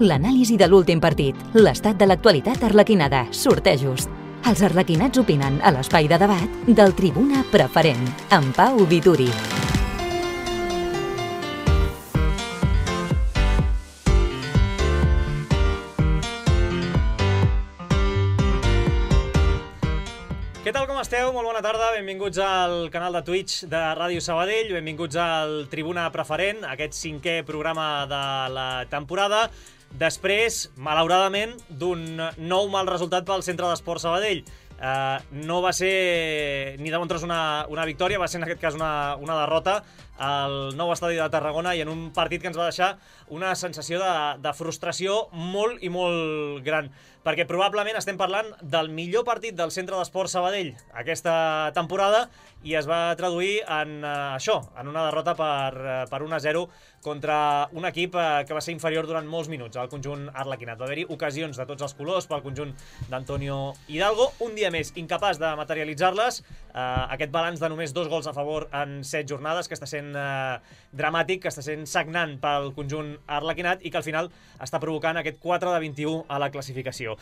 L'anàlisi de l'últim partit, l'estat de l'actualitat arlequinada, sortejos. Els arlequinats opinen a l'espai de debat del Tribuna Preferent, amb Pau Vituri. Què tal, com esteu? Molt bona tarda, benvinguts al canal de Twitch de Ràdio Sabadell, benvinguts al Tribuna Preferent, aquest 5è programa de la temporada, després, malauradament, d'un nou mal resultat pel Centre d'Esports Sabadell. No va ser ni de bon tros una victòria, va ser en aquest cas una derrota al nou estadi de Tarragona i en un partit que ens va deixar una sensació de frustració molt i molt gran, perquè probablement estem parlant del millor partit del Centre d'Esports Sabadell aquesta temporada i es va traduir en això, en una derrota per 1-0 contra un equip que va ser inferior durant molts minuts al conjunt arlequinat. Va haver-hi ocasions de tots els colors pel conjunt d'Antonio Hidalgo, un dia més incapaç de materialitzar-les, aquest balanç de només 2 gols a favor en 7 jornades que està sent dramàtic, que està sent sagnant pel conjunt arlequinat i que al final està provocant aquest 4 de 21 a la classificació.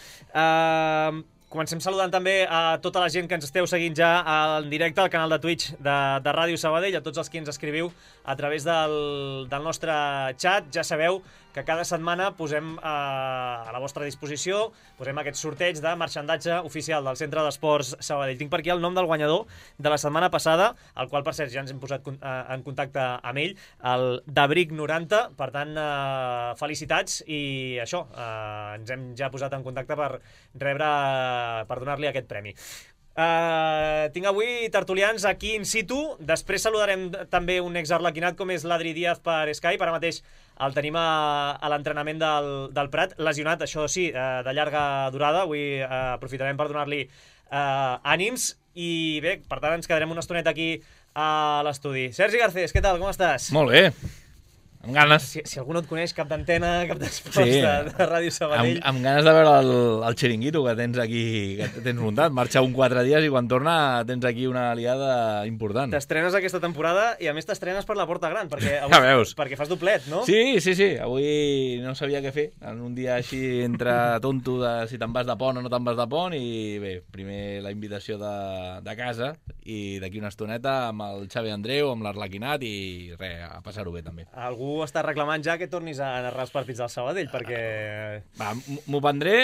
Comencem saludant també a tota la gent que ens esteu seguint ja en directe al canal de Twitch de Ràdio Sabadell, a tots els que ens escriviu a través del nostre xat. Ja sabeu que cada setmana posem a la vostra disposició aquest sorteig de marxandatge oficial del Centre d'Esports Sabadell. Tinc per aquí el nom del guanyador de la setmana passada, el qual, per cert, ja ens hem posat en contacte amb ell, el Dabric 90. Per tant, felicitats i això, ens hem ja posat en contacte per donar-li aquest premi. Tinc avui tertulians aquí in situ. Després saludarem també un ex-arlequinat com és l'Adri Díaz per Skype. Ara mateix el tenim a l'entrenament del Prat, lesionat, això sí, de llarga durada. Avui aprofitarem per donar-li ànims i bé, per tant ens quedarem una estoneta aquí a l'estudi. Sergi Garcés, què tal, com estàs? Molt bé, amb ganes. Si algú no et coneix, cap d'antena, cap d'esports de Ràdio Sabadell. Amb ganes de veure el xiringuito que tens aquí, que tens muntat. Marxa un 4 dies i quan torna tens aquí una aliada important. T'estrenes aquesta temporada i a més t'estrenes per la Porta Gran, perquè ja veus. Perquè fas doblet, no? Sí. Avui no sabia què fer. En un dia així entre tonto de si te'n vas de pont o no te'n vas de pont i bé, primer la invitació de casa i d'aquí una estoneta amb el Xavi Andreu, amb l'Arlequinat i res, a passar-ho bé també. Algú està reclamant ja que tornis a narrar els partits del Sabadell, perquè... Va, m'ho prendré...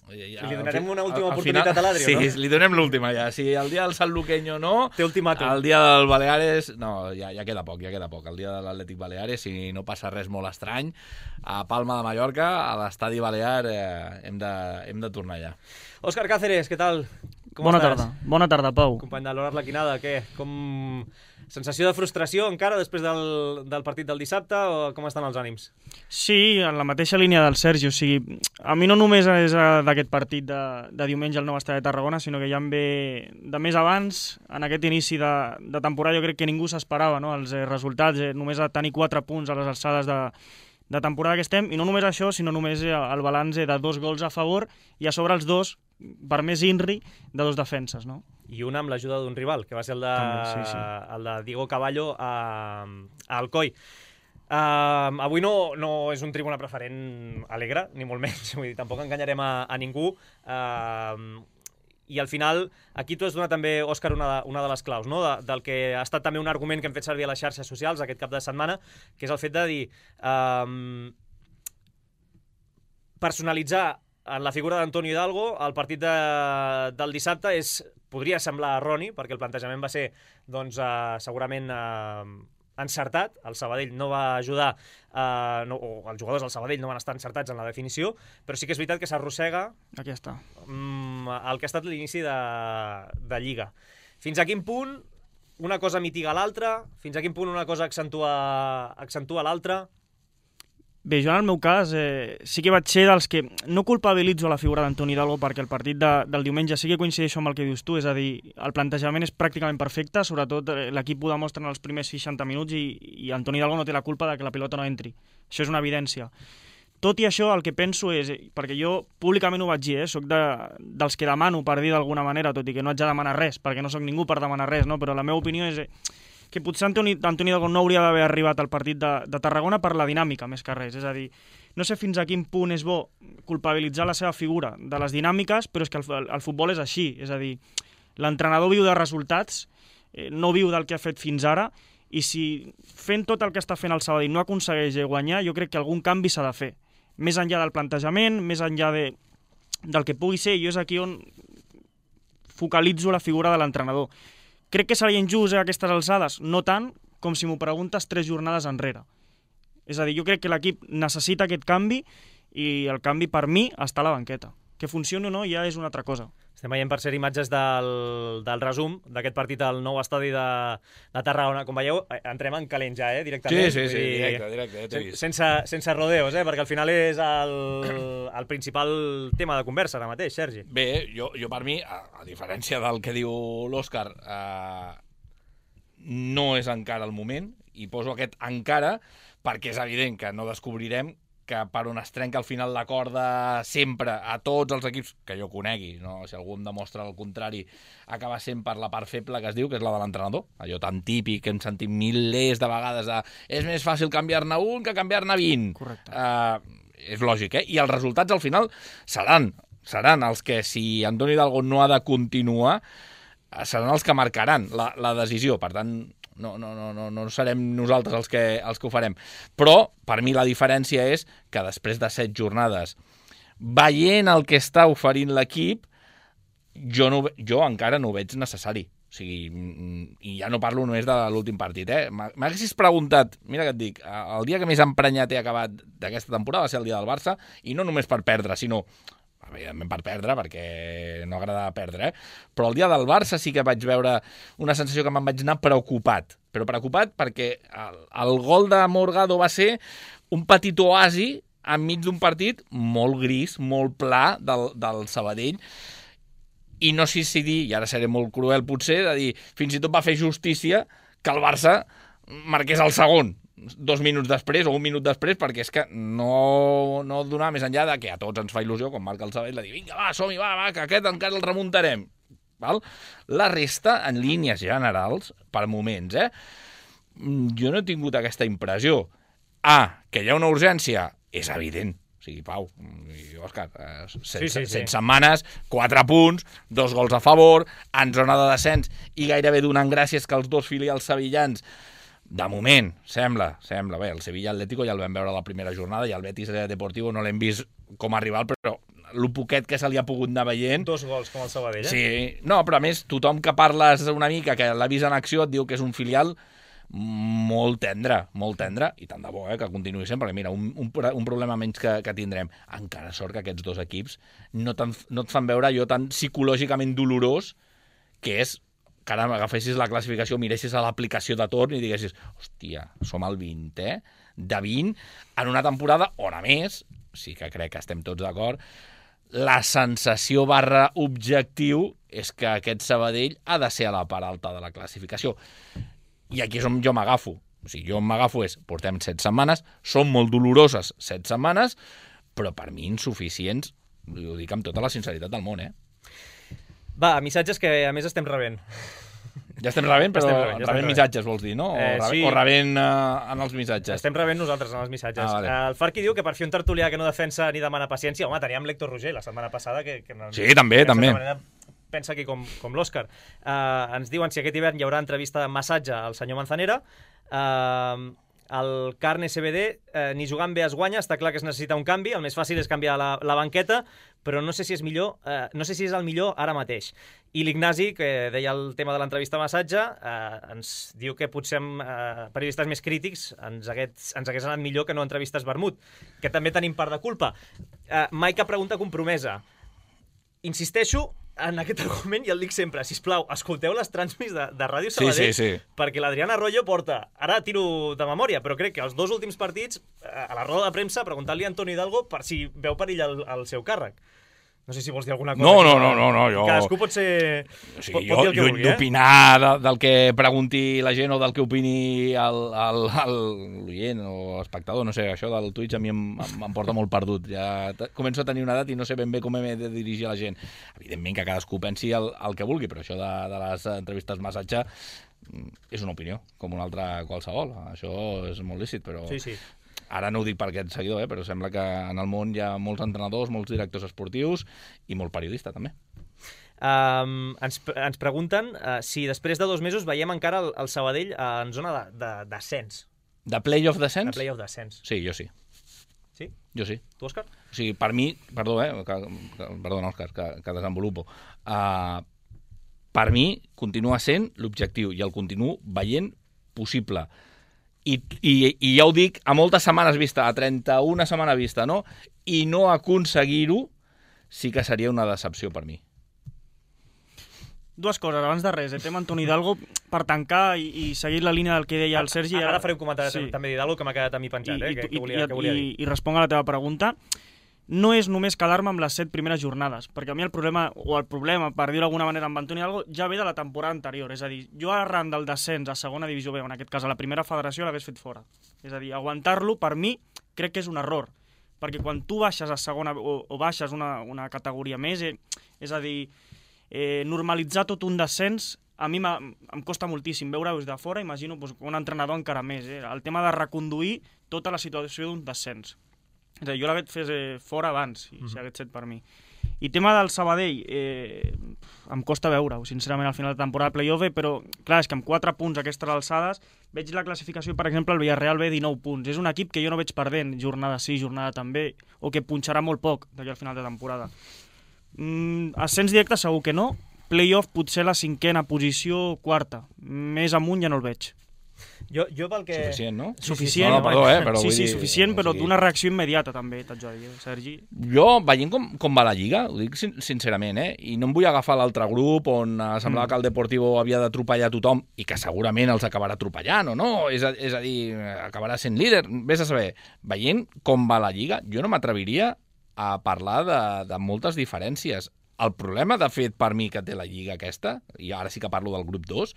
Li donarem una última oportunitat a l'Adri, no? Sí, li donem l'última ja. Si el dia del Sant Luqueño no... Té ultimàtum. El dia del Baleares... No, ja queda poc. El dia de l'Atlètic Baleares, si no passa res molt estrany, a Palma de Mallorca, a l'estadi Balear, hem de tornar ja. Òscar Cáceres, què tal? Bona tarda, Pau. Company de l'Hora Arlequinada, què? Sensació de frustració encara després del partit del dissabte o com estan els ànims? Sí, en la mateixa línia del Sergi, o sigui, a mi no només és d'aquest partit de diumenge al nou estadi de Tarragona, sinó que ja em ve de més abans, en aquest inici de temporada jo crec que ningú s'esperava, no? Els resultats, només a tenir 4 punts a les alçades de temporada que estem, i no només això, sinó només el balanç de 2 gols a favor i a sobre els 2, per més INRI, de 2 defenses, no? I una amb l'ajuda d'un rival, que va ser el de Diego Caballo a Alcoi. Avui no és un Tribuna Preferent alegre, ni molt menys, vull dir, tampoc enganyarem a ningú. I al final, aquí tu has donat també, Òscar, una de les claus, no? Del que ha estat també un argument que hem fet servir a les xarxes socials aquest cap de setmana, que és el fet de dir personalitzar en la figura d'Antonio Hidalgo el partit del dissabte podria semblar erroni, perquè el plantejament va ser segurament encertat. El Sabadell no va ajudar, o els jugadors del Sabadell no van estar encertats en la definició, però sí que és veritat que s'arrossega el que ha estat l'inici de Lliga. Fins a quin punt una cosa mitiga l'altra? Fins a quin punt una cosa accentua l'altra? Bé, jo en el meu cas sí que vaig ser dels que no culpabilitzo la figura d'Antoni Hidalgo perquè el partit del diumenge sí que coincideixo amb el que dius tu, és a dir, el plantejament és pràcticament perfecte, sobretot l'equip ho demostra en els primers 60 minuts i Antoni Hidalgo no té la culpa de que la pilota no entri. Això és una evidència. Tot i això, el que penso és, perquè jo públicament ho vaig dir, soc dels que demano per dir d'alguna manera, tot i que no haig de demanar res, perquè no soc ningú per demanar res, no? Però la meva opinió és que potser Antoni Dalgón no hauria d'haver arribat al partit de Tarragona per la dinàmica, més que res. És a dir, no sé fins a quin punt és bo culpabilitzar la seva figura de les dinàmiques, però és que el futbol és així. És a dir, l'entrenador viu de resultats, no viu del que ha fet fins ara, i si fent tot el que està fent el Sabadell no aconsegueix guanyar, jo crec que algun canvi s'ha de fer. Més enllà del plantejament, més enllà del que pugui ser, jo és aquí on focalitzo la figura de l'entrenador. Crec que seria injust a aquestes alçades? No tant com si m'ho preguntes 3 jornades enrere. És a dir, jo crec que l'equip necessita aquest canvi i el canvi per mi està a la banqueta. Que funcioni o no ja és una altra cosa. Estem veient, per ser imatges del resum d'aquest partit al nou estadi de Tarragona. Com veieu, entrem en calent ja, directament. Sí, directe. Sense rodeos, perquè al final és el principal tema de conversa ara mateix, Sergi. Bé, jo per mi, a diferència del que diu l'Òscar, no és encara el moment, i poso aquest encara perquè és evident que no descobrirem que per on es trenca al final la corda sempre a tots els equips que jo conegui, no? Si algú em demostra el contrari, acaba sent per la part feble que es diu, que és la de l'entrenador, allò tan típic que hem sentit milers de vegades de és més fàcil canviar-ne un que canviar-ne 20. Correcte. És lògic, I els resultats al final seran els que, si Antoni Dalgón no ha de continuar, seran els que marcaran la decisió. Per tant, no serem nosaltres els que ho farem. Però, per mi, la diferència és que després de 7 jornades, veient el que està oferint l'equip, jo encara no ho veig necessari. O sigui, i ja no parlo només de l'últim partit. M'haguessis preguntat, mira què et dic, el dia que més emprenyat he acabat d'aquesta temporada va ser el dia del Barça, i no només per perdre, sinó evidentment per perdre, perquè no agrada perdre, però el dia del Barça sí que vaig veure una sensació que me'n vaig anar preocupat. Però preocupat perquè el gol de Morgado va ser un petit oasi enmig d'un partit molt gris, molt pla del Sabadell, i no sé si dir, i ara seré molt cruel potser, de dir, fins i tot va fer justícia que el Barça marqués el segon 2 minuts després o 1 minut després, perquè és que no donava més enllà de que a tots ens fa il·lusió, quan marca el Sabadell, de dir, vinga, va, som-hi, va, que aquest encara el remuntarem. Val? La resta, en línies generals, per moments, jo no he tingut aquesta impressió. Que hi ha una urgència, és evident. O sigui, Pau i Òscar, 7 setmanes, 4 punts, 2 gols a favor, en zona de descens, i gairebé donant gràcies que els 2 filials sevillans, de moment, sembla, bé, el Sevilla Atlético ja el vam veure a la primera jornada, i el Betis Deportivo no l'hem vist com a rival, però el poquet que se li ha pogut anar veient... 2 gols com el Sabadell, Sí, no, però a més, tothom que parles una mica, que l'ha vist en acció, et diu que és un filial molt tendre, i tant de bo, que continuï sempre, perquè mira, un problema menys que tindrem. Encara sort que aquests 2 equips no et fan veure allò tan psicològicament dolorós que és que ara agafessis la classificació, miressis a l'aplicació de torn i diguessis, hòstia, som al 20, de 20, en una temporada on, a més, sí que crec que estem tots d'acord, la sensació / objectiu és que aquest Sabadell ha de ser a la part alta de la classificació. I aquí és on jo m'agafo. O sigui, jo m'agafo portem 7 setmanes, són molt doloroses 7 setmanes, però per mi insuficients, ho dic amb tota la sinceritat del món, Va, missatges que a més estem rebent. Ja estem rebent, però rebent missatges, vols dir, no? Sí. O rebent en els missatges? Estem rebent nosaltres en els missatges. Vale. El Farqui diu que per fi un tertulià que no defensa ni demana paciència. Home, teníem l'Héctor Roger la setmana passada, que sí, també. Pensa aquí com l'Òscar. Ens diuen si aquest hivern hi haurà entrevista de massatge al senyor Manzanera. El Carne CBD, ni jugant bé es guanya, està clar que es necessita un canvi, el més fàcil és canviar la banqueta, però no sé si és millor, no sé si és el millor ara mateix. I l'Ignasi, que deia el tema de l'entrevista massatge, ens diu que potser amb periodistes més crítics ens hagués anat millor que no entrevistes vermut, que també tenim part de culpa. Mai cap pregunta compromesa. Insisteixo en aquest argument i el dic sempre, sisplau, escolteu les transmis de Ràdio Sabadell, sí. perquè l'Adrián Arroyo porta, ara tiro de memòria, però crec que els 2 últims partits, a la roda de premsa, preguntant-li a Antoni Hidalgo per si veu perill al seu càrrec. No sé si vols dir alguna cosa. No, jo... Cadascú pot ser... O sigui, pot dir el que vulgui, d'opinar del que pregunti la gent o del que opini l'oient o l'espectador, no sé, això del Twitch a mi em porta molt perdut. Ja començo a tenir una edat i no sé ben bé com he de dirigir a la gent. Evidentment que cadascú pensi el que vulgui, però això de les entrevistes massatge és una opinió, com una altra qualsevol. Això és molt lícit, però... Sí. Ara no ho dic per aquest seguidor, però sembla que en el món hi ha molts entrenadors, molts directors esportius i molt periodista, també. Ens pregunten si després de 2 mesos veiem encara el Sabadell en zona d'ascens. De play-off descens? De play-off d'ascens. Sí, jo sí. Sí? Jo sí. Tu, Òscar? O sigui, per mi, perdona, Òscar, que desenvolupo, per mi continua sent l'objectiu i el continuo veient possible. I ja ho dic, a moltes setmanes vista, a 31 setmana vista, no? I no aconseguir-ho sí que seria una decepció per mi. 2 coses, abans de res, tema Antoni Hidalgo, per tancar i seguir la línia del que deia el Sergi... Ara faré un comentari també d'Hidalgo que m'ha quedat a mi penjat, que volia dir. I responc a la teva pregunta. No és només quedar-me amb les 7 primeres jornades, perquè a mi el problema, per dir-ho d'alguna manera, amb Antoni Hidalgo, ja ve de la temporada anterior. És a dir, jo arran del descens a segona divisió B, en aquest cas a la primera federació, l'hagués fet fora. És a dir, aguantar-lo, per mi, crec que és un error. Perquè quan tu baixes a segona o baixes una categoria més, és a dir, normalitzar tot un descens a mi em costa moltíssim veure-ho des de fora, imagino un entrenador encara més, el tema de reconduir tota la situació d'un descens. És a dir, jo l'hagués fet fora abans, si hagués set per mi. I tema del Sabadell, em costa veure-ho, sincerament, al final de temporada de play-off, però clar, és que amb 4 punts a aquestes alçades veig la classificació, per exemple, el Villarreal B 19 punts. És un equip que jo no veig perdent, jornada sí, jornada també, o que punxarà molt poc d'aquí al final de temporada. Ascens directe segur que no, play-off potser la 5a posició, 4. Més amunt ja no el veig. Jo pel que... Suficient, no? Suficient, no, perdó, però sí, vull dir, suficient, però d'una reacció immediata també, t'haig de dir, Sergi. Jo, veient com va la Lliga, ho dic sincerament, i no em vull agafar l'altre grup on semblava que el Deportivo havia d'atropellar tothom i que segurament els acabarà atropellant o no, és a dir, acabarà sent líder, vés a saber. Veient com va la Lliga, jo no m'atreviria a parlar de moltes diferències. El problema, de fet, per mi que té la Lliga aquesta, i ara sí que parlo del grup 2,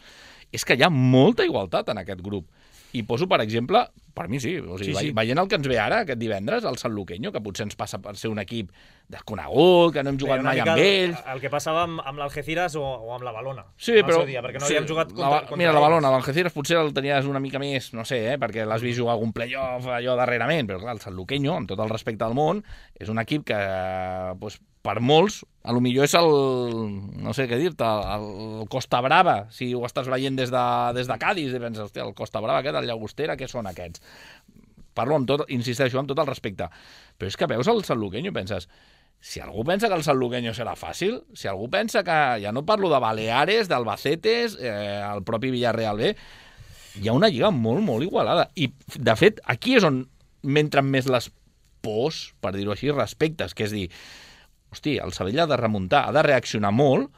és que hi ha molta igualtat en aquest grup. I poso, per exemple, per mi sí, o sigui, veient el que ens ve ara, aquest divendres, el Sanluqueño, que potser ens passa per ser un equip desconegut, que no hem jugat mai amb ells... El que passava amb l'Algeciras o amb la Valona. Sí, però... Dia, perquè no havíem jugat contra mira, la Valona, l'Algeciras potser el tenies una mica més, no sé, perquè l'has vist jugar algun play-off allò darrerament, però clar, el Sanluqueño, amb tot el respecte al món, és un equip que, per molts, a lo millor és no sé què dir-te, el Costa Brava, si ho estàs veient des de Cádiz, i penses, hòstia, el Costa Brava aquest, el Llagostera, què són aquests? Parlo amb tot, insisteixo, amb tot el respecte. Però és que veus el Sanluqueño i penses, si algú pensa que el Sanluqueño serà fàcil, si algú pensa que, ja no parlo de Baleares, d'Albacetes, el propi Villarreal B, hi ha una lliga molt, molt igualada. I, de fet, aquí és on m'entren més les pors, per dir-ho així, respectes, que és dir, hosti, el Sabadell ha de remuntar, ha de reaccionar molt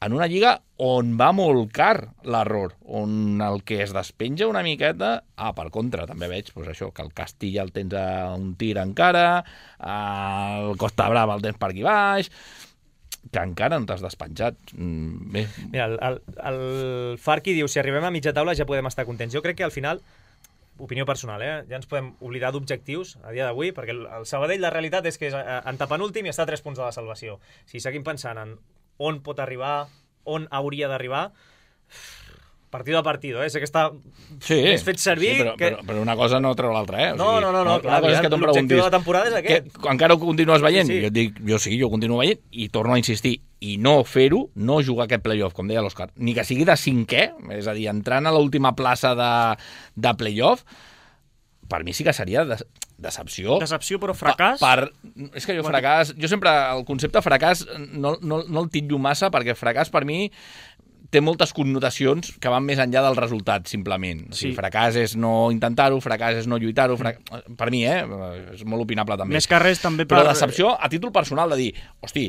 en una lliga on va molt car l'error, on el que es despenja una miqueta... per contra, també veig això, que el Castilla el tens a un tir encara, el Costa Brava el tens per aquí baix, que encara no t'has despenjat. Bé. Mira, el Farqui diu, si arribem a mitja taula ja podem estar contents. Jo crec que al final, opinió personal, ja ens podem oblidar d'objectius a dia d'avui, perquè el Sabadell, la realitat és que és antepenúltim i està a 3 punts de la salvació. Si seguim pensant en on pot arribar, on hauria d'arribar, partido a partido, sé que està més fet servir... Sí, però una cosa no treu l'altra, No, clar, l'objectiu de la temporada és aquest. Encara ho continues veient? Sí. Jo dic, jo continuo veient, i torno a insistir, i no fer-ho, no jugar aquest play-off, com deia l'Òscar, ni que sigui de 5è, és a dir, entrant a l'última plaça de play-off, per mi sí que seria decepció. Decepció, però fracàs? És que jo sempre, el concepte fracàs no el titllo massa, perquè fracàs per mi té moltes connotacions que van més enllà del resultat, simplement. O sigui, fracàs és no intentar-ho, fracàs és no lluitar-ho, per mi, és molt opinable també. Més que res també Però decepció a títol personal de dir, hosti,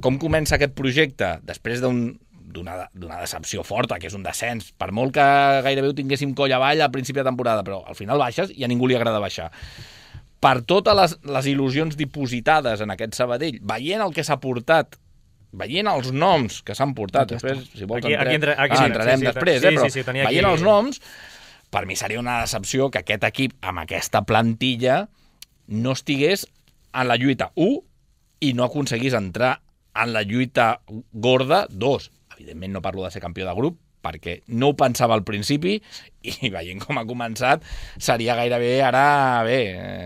com comença aquest projecte després d'una decepció forta, que és un descens, per molt que gairebé ho tinguéssim coll avall al principi de temporada, però al final baixes i a ningú li agrada baixar. Per totes les il·lusions dipositades en aquest Sabadell, veient el que s'ha portat, veient els noms que s'han portat, després, si vols entrarem després, però veient els noms, per mi seria una decepció que aquest equip, amb aquesta plantilla, no estigués en la lluita 1 i no aconseguís entrar en la lluita gorda 2. Evidentment no parlo de ser campió de grup, perquè no ho pensava al principi i veient com ha començat seria gairebé ara,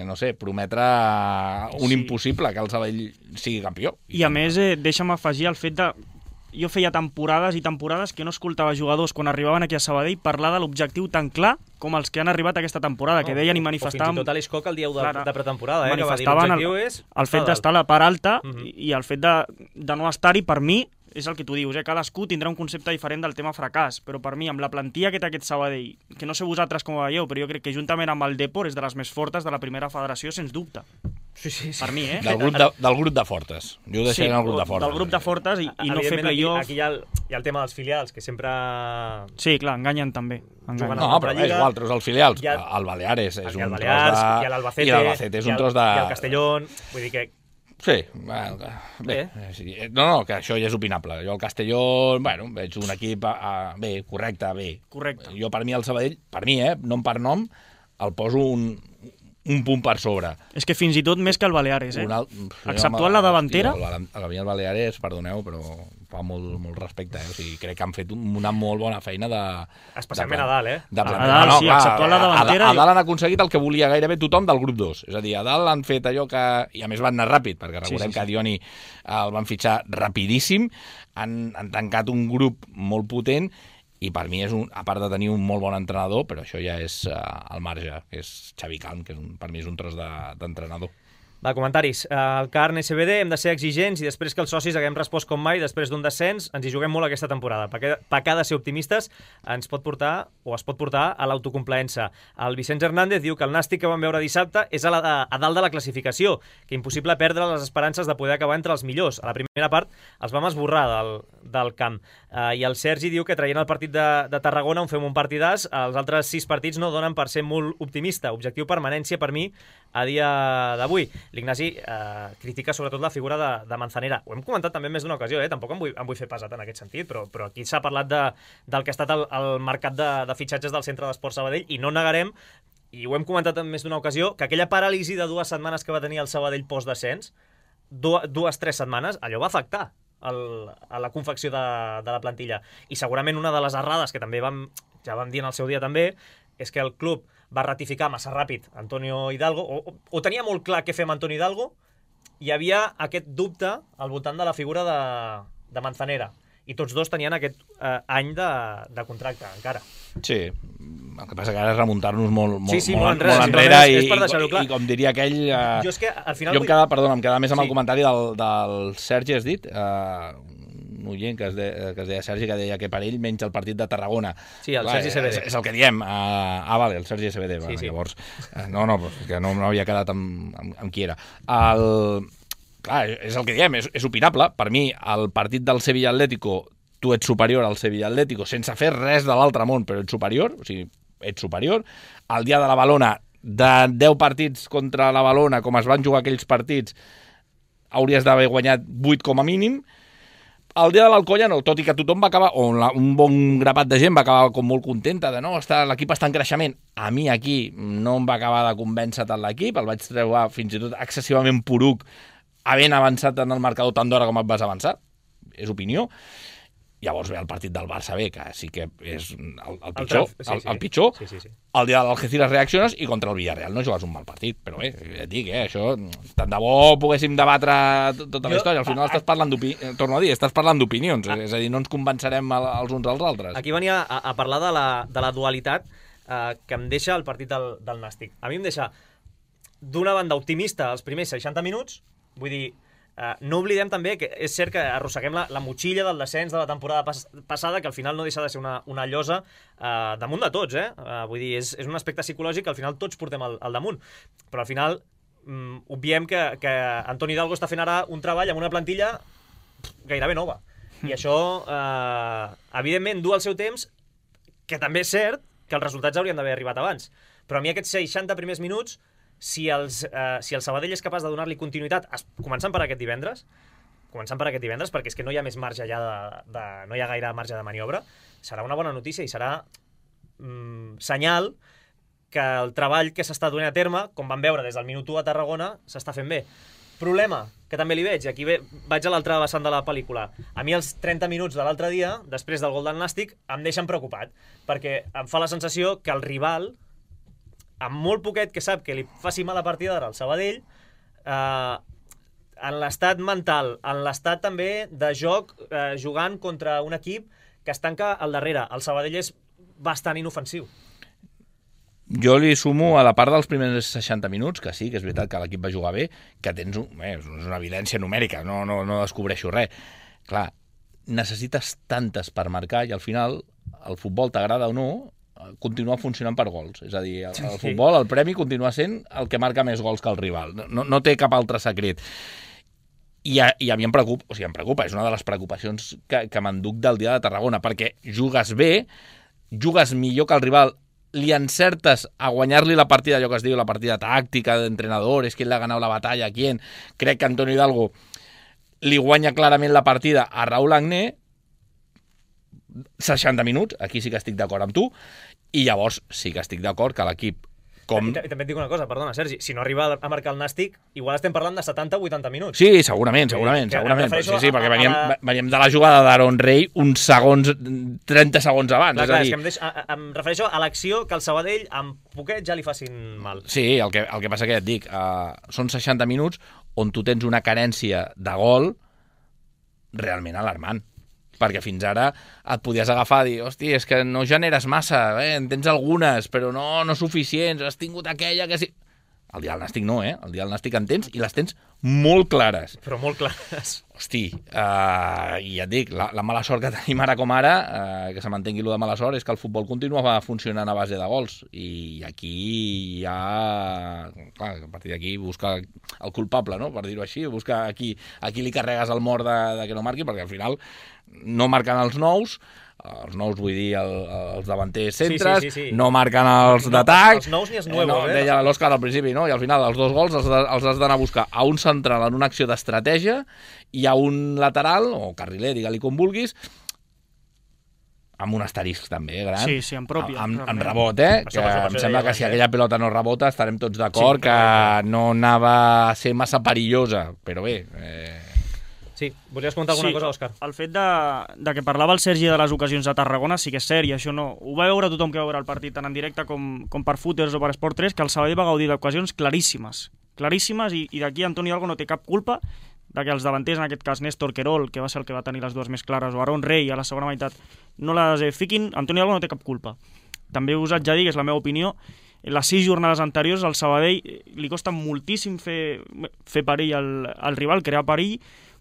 no sé, prometre un impossible que el Sabadell sigui campió. I a més, deixa'm afegir el fet de... Jo feia temporades i temporades que no escoltava jugadors quan arribaven aquí a Sabadell parlar de l'objectiu tan clar com els que han arribat aquesta temporada, que deien i manifestaven... O fins i tot a l'Iscoc el dia de pretemporada, manifestaven el fet d'estar a la part alta i el fet de no estar-hi, per mi, és el que tu dius, cadascú tindrà un concepte diferent del tema fracàs, però per mi, amb la plantilla que té aquest Sabadell, que no sé vosaltres com ho veieu, però jo crec que juntament amb el Depor és de les més fortes de la primera federació, sens dubte. Sí. Per mi, Del grup de fortes. Jo ho deixaré en el grup de fortes. Del grup de fortes i no fer play-off. Aquí hi ha el tema dels filials, que sempre... Sí, clar, enganyen també. No, però és igual, treus els filials. El Baleares és un tros de... I l'Albacete és un tros de... I el Castellón, vull dir que... Sí, bé. No, que això ja és opinable. Jo al Castelló, veig un equip correcte. Jo per mi el Sabadell, nom per nom, el poso un punt per sobre. És que fins i tot més que el Baleares, exceptuant la davantera. A mi el Baleares, perdoneu, però fa molt respecte, o sigui, crec que han fet una molt bona feina de... Especialment a dalt, A dalt, sí, exceptuant la davantera. A dalt han aconseguit el que volia gairebé tothom del grup 2. És a dir, a dalt han fet allò que... I a més van anar ràpid, perquè recordem que a Dioni el van fitxar rapidíssim, han tancat un grup molt potent i per mi és a part de tenir un molt bon entrenador, però això ja és al marge, que és Xavi Calm, que per mi és un tros d'entrenador. Va, comentaris. El Carn SBD, hem de ser exigents i després que els socis haguem respost com mai després d'un descens, ens hi juguem molt aquesta temporada. Pecar de ser optimistes ens pot portar, o es pot portar, a l'autocomplaença. El Vicenç Hernández diu que el Nàstic que vam veure dissabte és a dalt de la classificació, que impossible perdre les esperances de poder acabar entre els millors. A la primera part els vam esborrar del camp. I el Sergi diu que traient el partit de Tarragona on fem un partidàs, els altres 6 partits no donen per ser molt optimista. Objectiu permanència per mi a dia d'avui. L'Ignasi critica sobretot la figura de Manzanera. Ho hem comentat també més d'una ocasió, tampoc em vull fer pesat en aquest sentit, però aquí s'ha parlat del que ha estat el mercat de fitxatges del Centre d'Esports Sabadell i no negarem, i ho hem comentat en més d'una ocasió, que aquella paràlisi de 2 setmanes que va tenir el Sabadell post-descens, 2-3 setmanes, allò va afectar a la confecció de la plantilla. I segurament una de les errades que també ja vam dir en el seu dia també, és que el club va ratificar massa ràpid Antonio Hidalgo, o tenia molt clar què fer amb Antonio Hidalgo, hi havia aquest dubte al voltant de la figura de Manzanera, i tots dos tenien aquest any de contracte encara. Sí, el que passa que ara és remuntar-nos molt enrere i com diria aquell... Jo és que al final... em quedava més amb el comentari del Sergi, has dit, un oient que es deia Sergi, que deia que per ell menys el partit de Tarragona. Sí, el Sergi CBD. És el que diem. Vale, el Sergi CBD. Sí. Llavors, no, que no havia quedat amb qui era. Clar, és el que diem, és opinable. Per mi, el partit del Sevilla Atlético, tu ets superior al Sevilla Atlético sense fer res de l'altre món, però ets superior, o sigui, ets superior. El dia de la Balona, de 10 partits contra la Balona, com es van jugar aquells partits, hauries d'haver guanyat 8 com a mínim. El dia de l'Alcoyano, tot i que tothom va acabar, o un bon grapat de gent va acabar com molt contenta de no, l'equip està en creixement. A mi aquí no em va acabar de convèncer tant l'equip, el vaig treure fins i tot excessivament poruc, havent avançat en el marcador tant d'hora com et vas avançar, és opinió. Llavors ve el partit del Barça B, que sí que és el pitjor. El pitjor. Sí. El dia de l'Algeciras reacciones i contra el Villarreal no jugues un mal partit. Però bé, et dic, això, tant de bo poguéssim debatre tota la història. Al final estàs parlant torno a dir, estàs parlant d'opinions. És a dir, no ens convencerem els uns als altres. Aquí venia a parlar de la dualitat que em deixa el partit del Nàstic. A mi em deixa d'una banda optimista els primers 60 minuts, vull dir, no oblidem també que és cert que arrosseguem la motxilla del descens de la temporada passada, que al final no deixa de ser una llosa damunt de tots, vull dir, és un aspecte psicològic que al final tots portem al damunt, però al final obviem que Antoni Hidalgo està fent ara un treball amb una plantilla gairebé nova, i això evidentment du el seu temps, que també és cert que els resultats haurien d'haver arribat abans, però a mi aquests 60 primers minuts, si el Sabadell és capaç de donar-li continuïtat, començant per aquest divendres, perquè és que no hi ha més marge ja no hi ha gaire marge de maniobra, serà una bona notícia i serà senyal que el treball que s'està donant a terme, com vam veure des del minut 1 a Tarragona, s'està fent bé. Problema, que també li veig, i aquí vaig a l'altra vessant de la pel·lícula. A mi els 30 minuts de l'altre dia, després del gol del Nàstic, em deixen preocupat, perquè em fa la sensació que el rival, amb molt poquet que sap que li faci mala partida d'ara al Sabadell, en l'estat mental, en l'estat també de joc, jugant contra un equip que es tanca al darrere. El Sabadell és bastant inofensiu. Jo li sumo a la part dels primers 60 minuts, que sí, que és veritat que l'equip va jugar bé, que tens és una evidència numèrica, no descobreixo res. Clar, necessites tantes per marcar i al final el futbol, t'agrada o no, continua funcionant per gols. És a dir, el futbol, el premi continua sent el que marca més gols que el rival. No té cap altre secret. I a mi em preocupa, és una de les preocupacions que m'enduc del dia de Tarragona, perquè jugues bé, jugues millor que el rival, li encertes a guanyar-li la partida, allò que es diu la partida tàctica d'entrenadores, qui l'ha ganat la batalla, qui. Crec que Antonio Hidalgo li guanya clarament la partida a Raúl Agné, 60 minuts, aquí sí que estic d'acord amb tu, i llavors sí que estic d'acord que l'equip com... I també et dic una cosa, perdona, Sergi, si no arriba a marcar el Nàstic, igual estem parlant de 70 o 80 minuts. Sí, segurament. Sí, perquè veníem de la jugada d'Aaron Rey uns segons, 30 segons abans. Clar, és que em refereixo a l'acció que el Sabadell amb poquet ja li facin mal. Sí, el que passa que ja et dic, són 60 minuts on tu tens una carència de gol realment alarmant. Perquè fins ara et podies agafar i dir, hosti, és que no generes massa, en tens algunes, però no suficients, has tingut aquella que sí... El dia del Nàstic no, El dia del Nàstic en tens i les tens molt clares. Però molt clares. Hosti, i ja et dic, la mala sort que tenim ara com ara, que se m'entengui allò de mala sort, és que el futbol continua funcionant a base de gols. I aquí ja... Clar, a partir d'aquí busca el culpable, no?, per dir-ho així, busca a qui li carregues el mort de que no marqui, perquè al final no marquen els nous vull dir els davanters centres, sí. No marquen els d'atac, els nous ni els nuevos, deia l'Òscar al principi, no? I al final els 2 gols els has d'anar a buscar a un central en una acció d'estratègia i a un lateral, o carriler, digue-li com vulguis, amb un asterisc també, gran. Sí, en pròpia. Amb rebot, que em sembla que si aquella pelota no rebota estarem tots d'acord que no anava a ser massa perillosa, però bé... Sí, volies comentar alguna cosa, Òscar? El fet de que parlava el Sergi de les ocasions de Tarragona sí que és cert, i això no... Ho va veure tothom que va veure el partit, tant en directe com per Footers o per Esport 3, que el Sabadell va gaudir d'ocasions claríssimes, i d'aquí Antonio Hidalgo no té cap culpa de que els davanters, en aquest cas Néstor Querol, que va ser el que va tenir les dues més clares, o Aaron Rey a la segona meitat, no les fiquin. Antonio Hidalgo no té cap culpa. També us haig de dir, que és la meva opinió, les 6 jornades anteriors al Sabadell li costa moltíssim fer perill al rival, crear perill.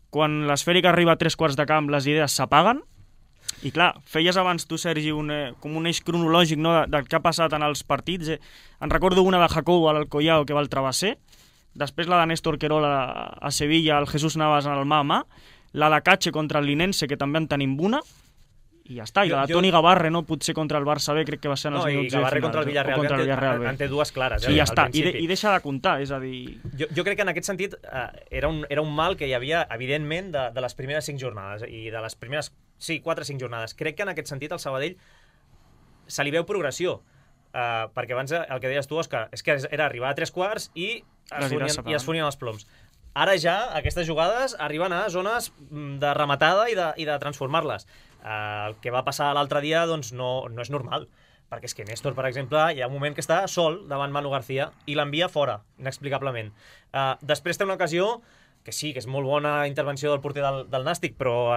Quan l'esfèric arriba a 3/4 de camp, les idees s'apaguen. I clar, feies abans tu, Sergi, com un eix cronològic, no, del que ha passat en els partits. En recordo una de Jacobo a l'Alcoyao, que va al travesser, després la de Néstor Querol a Sevilla, el Jesús Navas en el mà a mà, la de Cache contra el Linense, que també en tenim una, i ja està. I la de Toni Gavarre, no, potser contra el Barça B, crec que va ser en els minuts finals. I Gavarre contra el Villarreal, en té dues clares. I ja està, i deixa de comptar, és a dir... Jo crec que en aquest sentit era un mal que hi havia, evidentment, de les primeres 5 jornades, i de les primeres, 4-5 jornades. Crec que en aquest sentit al Sabadell se li veu progressió, perquè abans el que deies tu, Òscar, és que era arribar a 3/4 i es fonien els ploms. Ara ja aquestes jugades arriben a zones de rematada i de transformar-les. El que va passar l'altre dia doncs no és normal, perquè és que Néstor, per exemple, hi ha un moment que està sol davant Manu García i l'envia fora, inexplicablement. Després té una ocasió que sí, que és molt bona intervenció del porter del Nàstic, però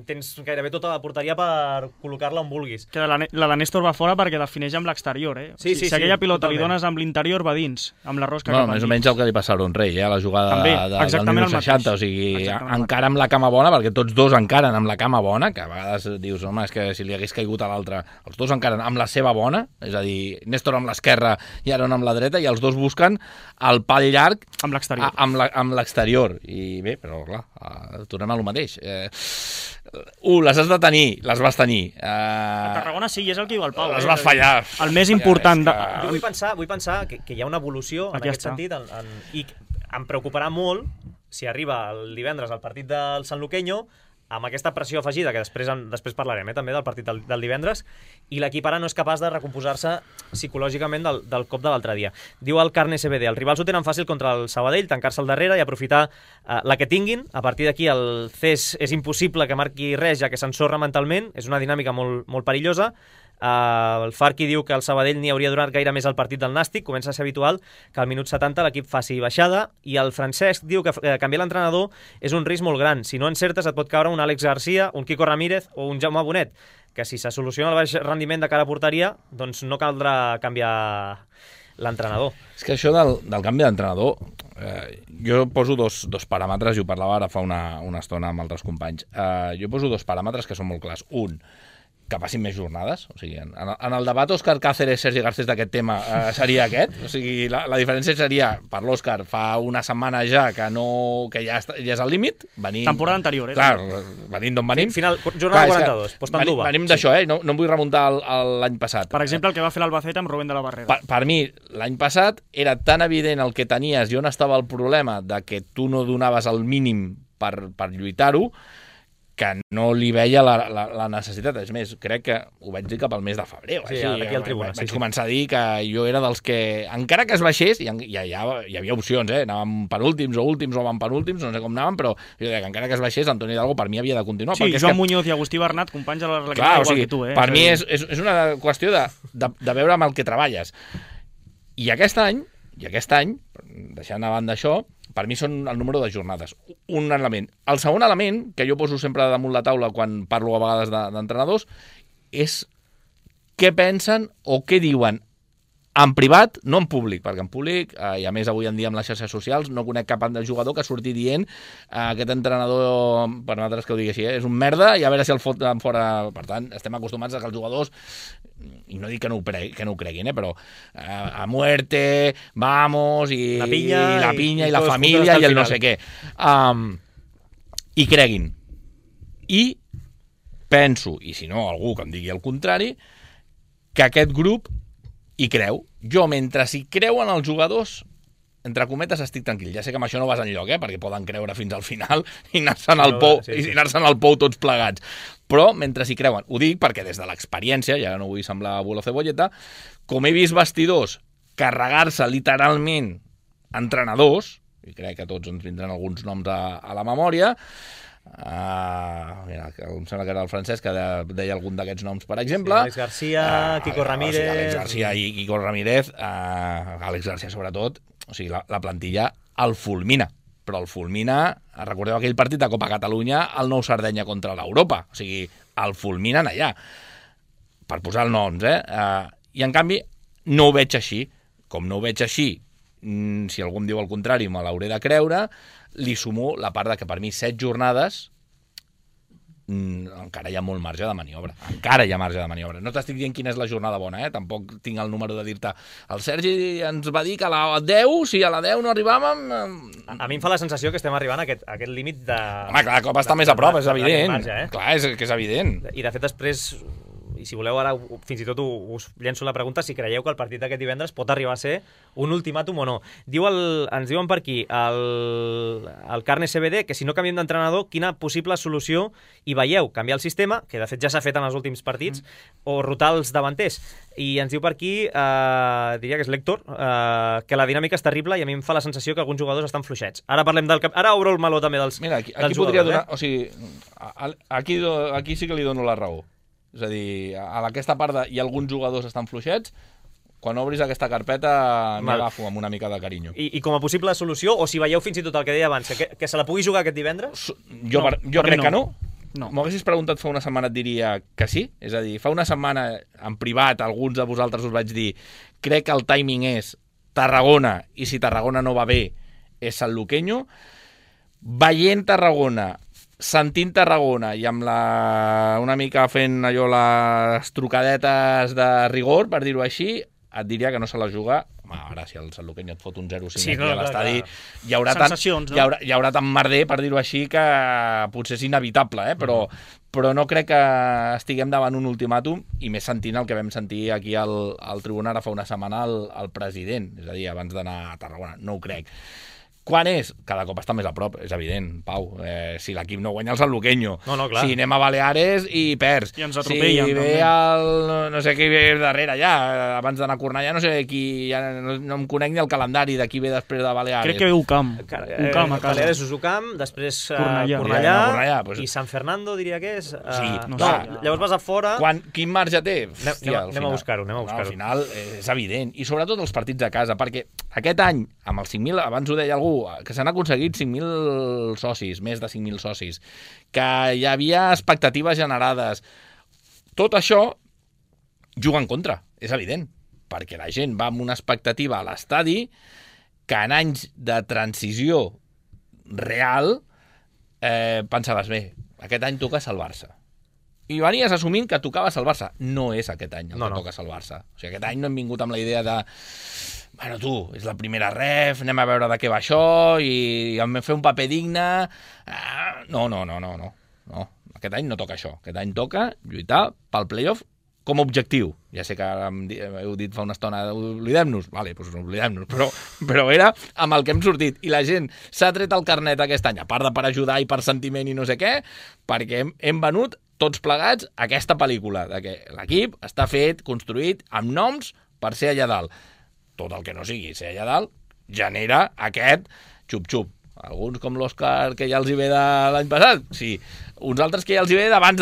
tens gairebé tota la porteria per col·locar-la on vulguis. Que la de Néstor va fora perquè defineix amb l'exterior, Sí, si aquella pilota li dones amb l'interior, va dins, amb la rosca cap endins. Més o menys el que li passa a Aaron Rey, a la jugada del minut 60, o sigui, encara amb la cama bona, perquè tots dos encaren amb la cama bona, que a vegades dius, home, és que si li hagués caigut a l'altre, els dos encaren amb la seva bona, és a dir, Néstor amb l'esquerra i Aaron amb la dreta, i els dos busquen el pal llarg amb l'exterior. Amb l'exterior. I bé, però clar, tornem a lo mateix. Les has de tenir, les vas tenir. A Tarragona sí, és el que diu el Pau. Les vas fallar. El més important... Jo vull pensar que hi ha una evolució en aquest sentit, i em preocuparà molt si arriba el divendres al partit del Sanluqueño amb aquesta pressió afegida, que després parlarem també del partit del divendres, i l'equip ara no és capaç de recomposar-se psicològicament del cop de l'altre dia. Diu el Carne CBD, els rivals ho tenen fàcil contra el Sabadell, tancar-se al darrere i aprofitar la que tinguin. A partir d'aquí el CES és impossible que marqui res, ja que s'ensorra mentalment, és una dinàmica molt, molt perillosa. El Farqui diu que el Sabadell ni hauria donat gaire més al partit del Nàstic, comença a ser habitual que al minut 70 l'equip faci baixada, i el Francesc diu que canviar l'entrenador és un risc molt gran, si no encertes et pot caure un Àlex Garcia, un Quico Ramírez o un Jaume Bonet, que si se soluciona el baix rendiment de cara a porteria, doncs no caldrà canviar l'entrenador. És que això del canvi d'entrenador, jo poso dos paràmetres, i ho parlava ara fa una estona amb altres companys. Jo poso dos paràmetres que són molt clars. Un, que passin més jornades. O sigui, en el debat Òscar Cáceres, Sergi Garcés d'aquest tema seria aquest. O sigui, la diferència seria, per l'Òscar, fa una setmana ja que ja és al límit. Temporada anterior, Clar, venim d'on venim. Final, jornada 42, postant d'uva. Venim d'això, no em vull remuntar l'any passat. Per exemple, el que va fer l'Albacete amb Rubén de la Barrera. Per mi, l'any passat era tan evident el que tenies i on estava el problema de que tu no donaves el mínim per lluitar-ho, que no li veia la necessitat. És més, crec que ho vaig dir cap al mes de febrer. Sí, aquí al Tribuna. Vaig començar a dir que jo era dels que, encara que es baixés, hi havia opcions, anàvem penúltims o últims o penúltims, no sé com anàvem, però jo deia que encara que es baixés, Antoni Hidalgo per mi havia de continuar. Sí, Joan Muñoz i Agustí Bernat, companys de l'Arlequinada, igual que tu. Per mi és una qüestió de veure amb el que treballes. I aquest any, deixant a banda això, per mi són el número de jornades. Un element. El segon element, que jo poso sempre damunt la taula quan parlo a vegades d'entrenadors, és què pensen o què diuen en privat, no en públic, perquè en públic, i a més avui en dia amb les xarxes socials, no conec cap jugador que surti dient aquest entrenador, per nosaltres que ho digui així, és un merda i a veure si el foten fora. Per tant, estem acostumats a que els jugadors, i no dic que no ho creguin, però a muerte, vamos, i la pinya, i la família, i el no sé què. I creguin. I penso, i si no, algú que em digui el contrari, que aquest grup hi creu. Jo, mentre s'hi creuen els jugadors, entre cometes, estic tranquil. Ja sé que amb això no vas enlloc, perquè poden creure fins al final i anar-se'n al pou tots plegats. Però, mentre s'hi creuen, ho dic perquè des de l'experiència, ja no vull semblar abuelo cebolleta, com he vist vestidors carregar-se literalment entrenadors, i crec que tots ens vindran alguns noms a la memòria, mira, em sembla que era el Francesc que deia algun d'aquests noms, per exemple. Àlex Garcia, Quico Ramírez. Àlex Garcia i Quico Ramírez, Àlex Garcia sobretot, o sigui, la plantilla el fulmina, però el fulmina, recordeu aquell partit de Copa Catalunya, el Nou Sardenya contra l'Europa, o sigui, el fulminen allà, per posar els noms, i en canvi no ho veig així. Com no ho veig així, si algú em diu el contrari, me l'hauré de creure. Li sumo la part de que per mi 7 jornades encara hi ha molt marge de maniobra. No t'estic dient quina és la jornada bona, tampoc tinc el número de dir-te el Sergi ens va dir que a la 10, si a la 10 no arribàvem... A mi em fa la sensació que estem arribant a aquest límit de... Home, clar, cop està més a prop, és evident. Clar, és que és evident. I de fet després... I si voleu ara, fins i tot us llenço la pregunta si creieu que el partit d'aquest divendres pot arribar a ser un ultimàtum o no. Ens diuen per aquí, el Carne CBD, que si no canviem d'entrenador, quina possible solució hi veieu? Canviar el sistema, que de fet ja s'ha fet en els últims partits, o rotar els davanters. I ens diu per aquí, diria que és l'Héctor, que la dinàmica és terrible i a mi em fa la sensació que alguns jugadors estan fluixets. Ara parlem ara obro el meló també dels jugadors. Mira, aquí podria donar... O sigui, aquí sí que li dono la raó. És a dir, a aquesta part hi ha alguns jugadors que estan fluixets, quan obris aquesta carpeta m'hi agafo amb una mica de carinyo. I com a possible solució, o si veieu fins i tot el que deia abans, que se la pugui jugar aquest divendres? Jo crec que no. M'ho haguessis preguntat fa una setmana et diria que sí. És a dir, fa una setmana en privat alguns de vosaltres us vaig dir crec que el timing és Tarragona i si Tarragona no va bé és Sanluqueño. Veient Tarragona, sentint Tarragona i amb una mica fent allò les trucadetes de rigor, per dir-ho així, et diria que no se la juga. Home, ara si el Sanluqueño et fot un 0-5 aquí a l'estadi, hi haurà tant merder, per dir-ho així, que potser és inevitable, però no crec que estiguem davant un ultimàtum, i més sentint el que vam sentir aquí al Tribuna ara fa una setmana el president, és a dir, abans d'anar a Tarragona. No ho crec. Quan és? Cada cop està més a prop, és evident, Pau. Si l'equip no guanya el San Luqueño, clar. Si anem a Baleares i perds, I ens atropellen, si ve no sé qui ve darrere ja, abans d'anar a Cornellà, no sé qui, ja no em conec ni el calendari de qui ve després de Baleares. Crec que ve Ucam. Ucam a casa. Baleares és Ucam, després Cornellà i San Fernando, diria que és. Sí, llavors vas a fora... Quin marge té? Anem a buscar-ho. Al final és evident. I sobretot els partits a casa, perquè aquest any, amb els 5.000, abans ho deia algú, que s'han aconseguit 5.000 socis, més de 5.000 socis, que hi havia expectatives generades. Tot això juga en contra, és evident, perquè la gent va amb una expectativa a l'estadi que en anys de transició real pensaves, bé, aquest any toca salvar-se. I venies assumint que tocava salvar-se. No és aquest any el que toca salvar-se. O sigui, aquest any no hem vingut amb la idea de bueno, tu, és la primera ref, anem a veure de què va això i hem de fer un paper digne. No. Aquest any no toca això. Aquest any toca lluitar pel playoff com a objectiu. Ja sé que ara heu dit fa una estona oblidem-nos. Vale, doncs oblidem-nos. Però era amb el que hem sortit. I la gent s'ha tret el carnet aquest any, a part de per ajudar i per sentiment i no sé què, perquè hem venut tots plegats aquesta pel·lícula de que l'equip està fet, construït, amb noms per ser allà dalt. Tot el que no sigui ser allà dalt genera aquest xup-xup. Alguns com l'Òscar, que ja els hi ve de l'any passat, sí. Uns altres que ja els hi ve d'abans,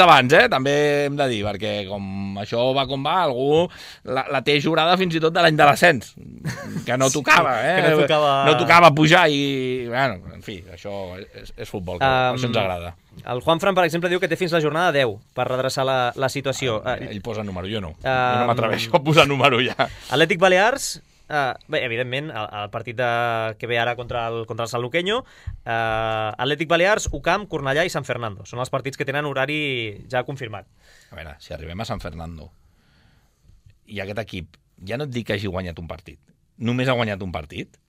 també hem de dir, perquè com això va com va, algú la té jurada fins i tot de l'any de l'ascens, que no tocava, no tocava pujar i, bueno, en fi, això és futbol, que això ens agrada. El Juanfran, per exemple, diu que té fins la jornada 10 per redreçar la situació. Ell posa número, jo no. Jo no m'atreveixo a posar número ja. Atlètic Balears... Bé, evidentment, el partit que ve ara contra el San Luqueño, Atlètic Balears, Ucam, Cornellà i San Fernando. Són els partits que tenen horari ja confirmat. A veure, si arribem a San Fernando i aquest equip, ja no et dic que hagi guanyat un partit, només ha guanyat un partit,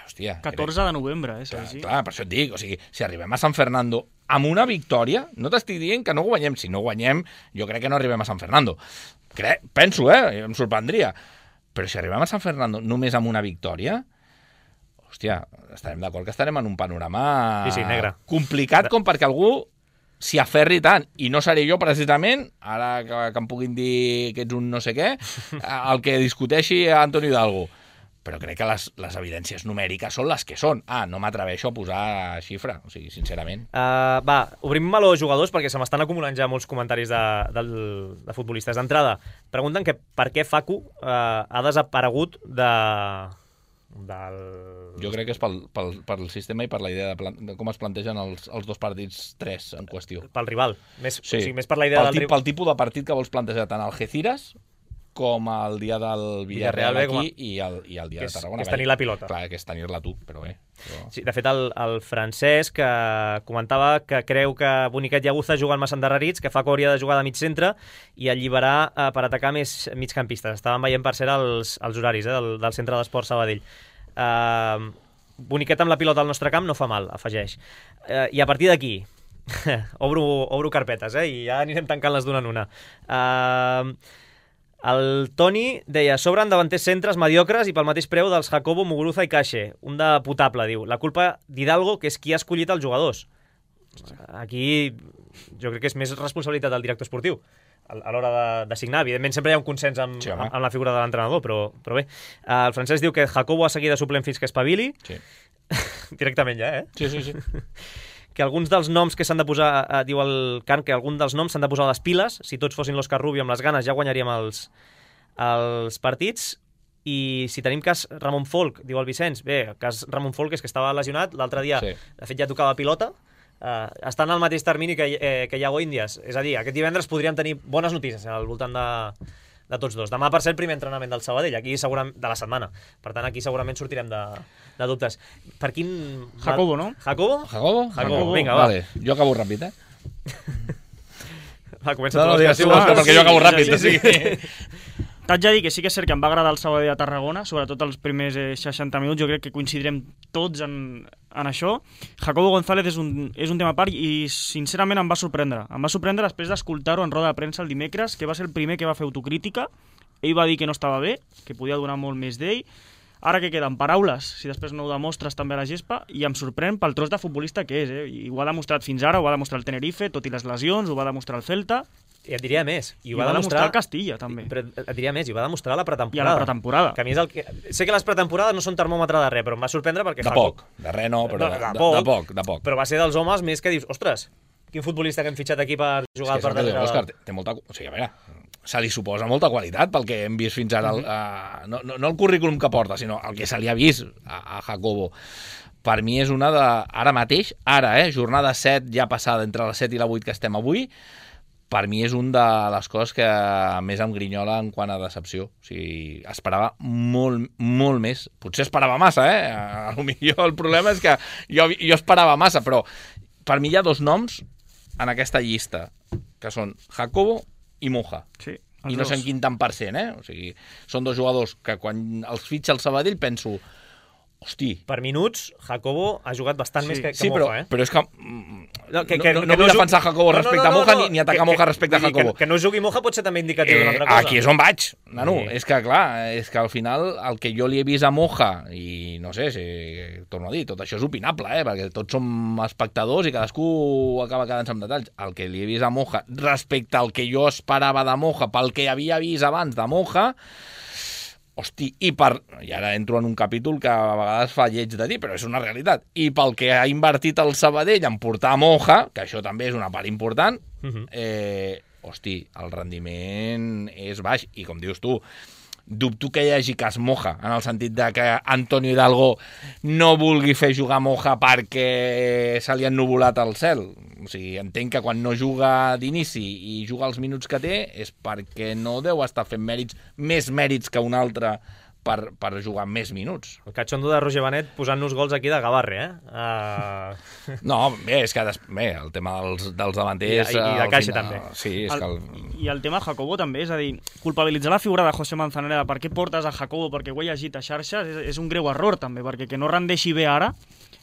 hòstia... 14 de novembre, Sergi. Clar, per això et dic, o sigui, si arribem a San Fernando amb una victòria, no t'estic dient que no guanyem. Si no guanyem, jo crec que no arribem a San Fernando. Penso, em sorprendria. Però si arribem a San Fernando només amb una victòria, hòstia, estarem d'acord que estarem en un panorama negre. Complicat com perquè algú s'hi aferri tant. I no seré jo, precisament, ara que em puguin dir que ets un no sé què, el que discuteixi a Antonio Hidalgo. Però crec que les evidències numèriques són les que són. No m'atreveixo a posar xifra, o sigui, sincerament. Va, obrim meló jugadors, perquè se m'estan acumulant ja molts comentaris de futbolistes. D'entrada, pregunten que per què Facu ha desaparegut del... Jo crec que és pel sistema i per la idea de com es plantegen els dos partits 3 en qüestió. Pel rival. O sigui, més per la idea del rival. Pel tipus de partit que vols plantejar tant Algeciras com el dia del Villarreal aquí i el dia de Tarragona. Que és tenir la pilota. Clar, que és tenir-la tu, però bé. Sí, de fet, el Francesc comentava que creu que Boniquet i Aguza juguen massa endarrerits, que Facu hauria de jugar de mig centre i alliberar per atacar més migcampistes. Estàvem veient, per cert, els horaris del Centre d'Esport Sabadell. Boniquet amb la pilota al nostre camp no fa mal, afegeix. I a partir d'aquí, obro carpetes, i ja anirem tancant les d'una en una. El Toni deia, sobren davanters centres mediocres i pel mateix preu dels Jacobo, Muguruza i Cache. Un de potable, diu. La culpa d'Hidalgo, que és qui ha escollit els jugadors. Aquí jo crec que és més responsabilitat del director esportiu a l'hora de signar. Evidentment sempre hi ha un consens amb la figura de l'entrenador, però bé. El Francesc diu que Jacobo ha seguit de suplent fins que espavili. Sí. Directament ja, Sí. Que alguns dels noms que s'han de posar, diu el Can, que alguns dels noms s'han de posar a les piles. Si tots fossin l'Òscar Rubio amb les ganes ja guanyaríem els partits. I si tenim cas Ramon Folk, diu el Vicenç, bé, el cas Ramon Folk és que estava lesionat, l'altre dia, de fet ja tocava pilota, està en el mateix termini que Iago Índies. És a dir, aquest divendres podríem tenir bones notícies al voltant de tots dos. Demà, per ser el primer entrenament del Sabadell, aquí segurament de la setmana. Per tant, aquí segurament sortirem de dubtes. Per quin... Jacobo, no? Jacobo, vinga, va. Vale. Jo acabo ràpid, Va, comença tu. No, digues tu, perquè jo acabo ràpid. T'haig de dir que sí que és cert que em va agradar el Sabadell a Tarragona, sobretot els primers 60 minuts, jo crec que coincidirem tots en això. Jacobo González és un tema a part i sincerament em va sorprendre. Em va sorprendre després d'escoltar-ho en roda de premsa el dimecres, que va ser el primer que va fer autocrítica. Ell va dir que no estava bé, que podia donar molt més d'ell. Ara que queden paraules, si després no ho demostres també a la gespa, i em sorprèn pel tros de futbolista que és, I ho ha demostrat fins ara, ho va demostrar el Tenerife, tot i les lesions, ho va demostrar el Celta, I et diria més. i ho va demostrar el Castilla, també. Però et diria més, i ho va demostrar a la pretemporada. I a la pretemporada. Que a mi és el que... Sé que les pretemporades no són termòmetre de res, però em va sorprendre perquè... De poc, de res no, però de poc. Però va ser dels homes més que dius, ostres, quin futbolista que hem fitxat aquí per jugar per darrere. Òscar, té molta... O sigui, a veure, se li suposa molta qualitat pel que hem vist fins ara. No el currículum que porta, sinó el que se li ha vist a Jacobo. Per mi és una de... Ara mateix, jornada 7 ja passada entre les 7 i la 8 que estem avui, per mi és una de les coses que més em grinyola en quant a decepció. O sigui, esperava molt, molt més. Potser esperava massa, Potser el problema és que jo esperava massa, però per mi hi ha dos noms en aquesta llista, que són Jacobo i Moja. Sí, I no sé en quin tant %, O sigui, són dos jugadors que quan els fitxa el Sabadell penso... Hosti. Per minuts, Jacobo ha jugat bastant més que Moja, però és que no vull defensar Jacobo respecte a Moja ni atacar Moja respecte a Jacobo. Que no jugui Moja pot ser també indicatiu d'una altra cosa. Aquí és on vaig, nano. És que, clar, al final el que jo li he vist a Moja, i no sé, torno a dir, tot això és opinable, perquè tots som espectadors i cadascú acaba quedant-se amb detalls. El que li he vist a Moja respecte al que jo esperava de Moja, pel que havia vist abans de Moja, hosti, i ara entro en un capítol que a vegades fa lleig de dir, però és una realitat. I pel que ha invertit el Sabadell en portar a Moja, que això també és una part important, hosti, el rendiment és baix. I com dius tu, dubto que hi hagi cas Moja, en el sentit de que Antonio Hidalgo no vulgui fer jugar Moja perquè se li ha ennuvolat el cel. O sigui, entenc que quan no juga d'inici i juga els minuts que té és perquè no deu estar fent més mèrits que un altre per jugar més minuts. El catxondo de Roger Benet posant-nos gols aquí de Gavarre, No, bé, és que el tema dels davanters... I de Caixa també. Sí, és que I el tema Jacobo també, és a dir, culpabilitzar la figura de José Manzanera de per què portes a Jacobo perquè ho he llegit a xarxes és un greu error també, perquè que no rendeixi bé ara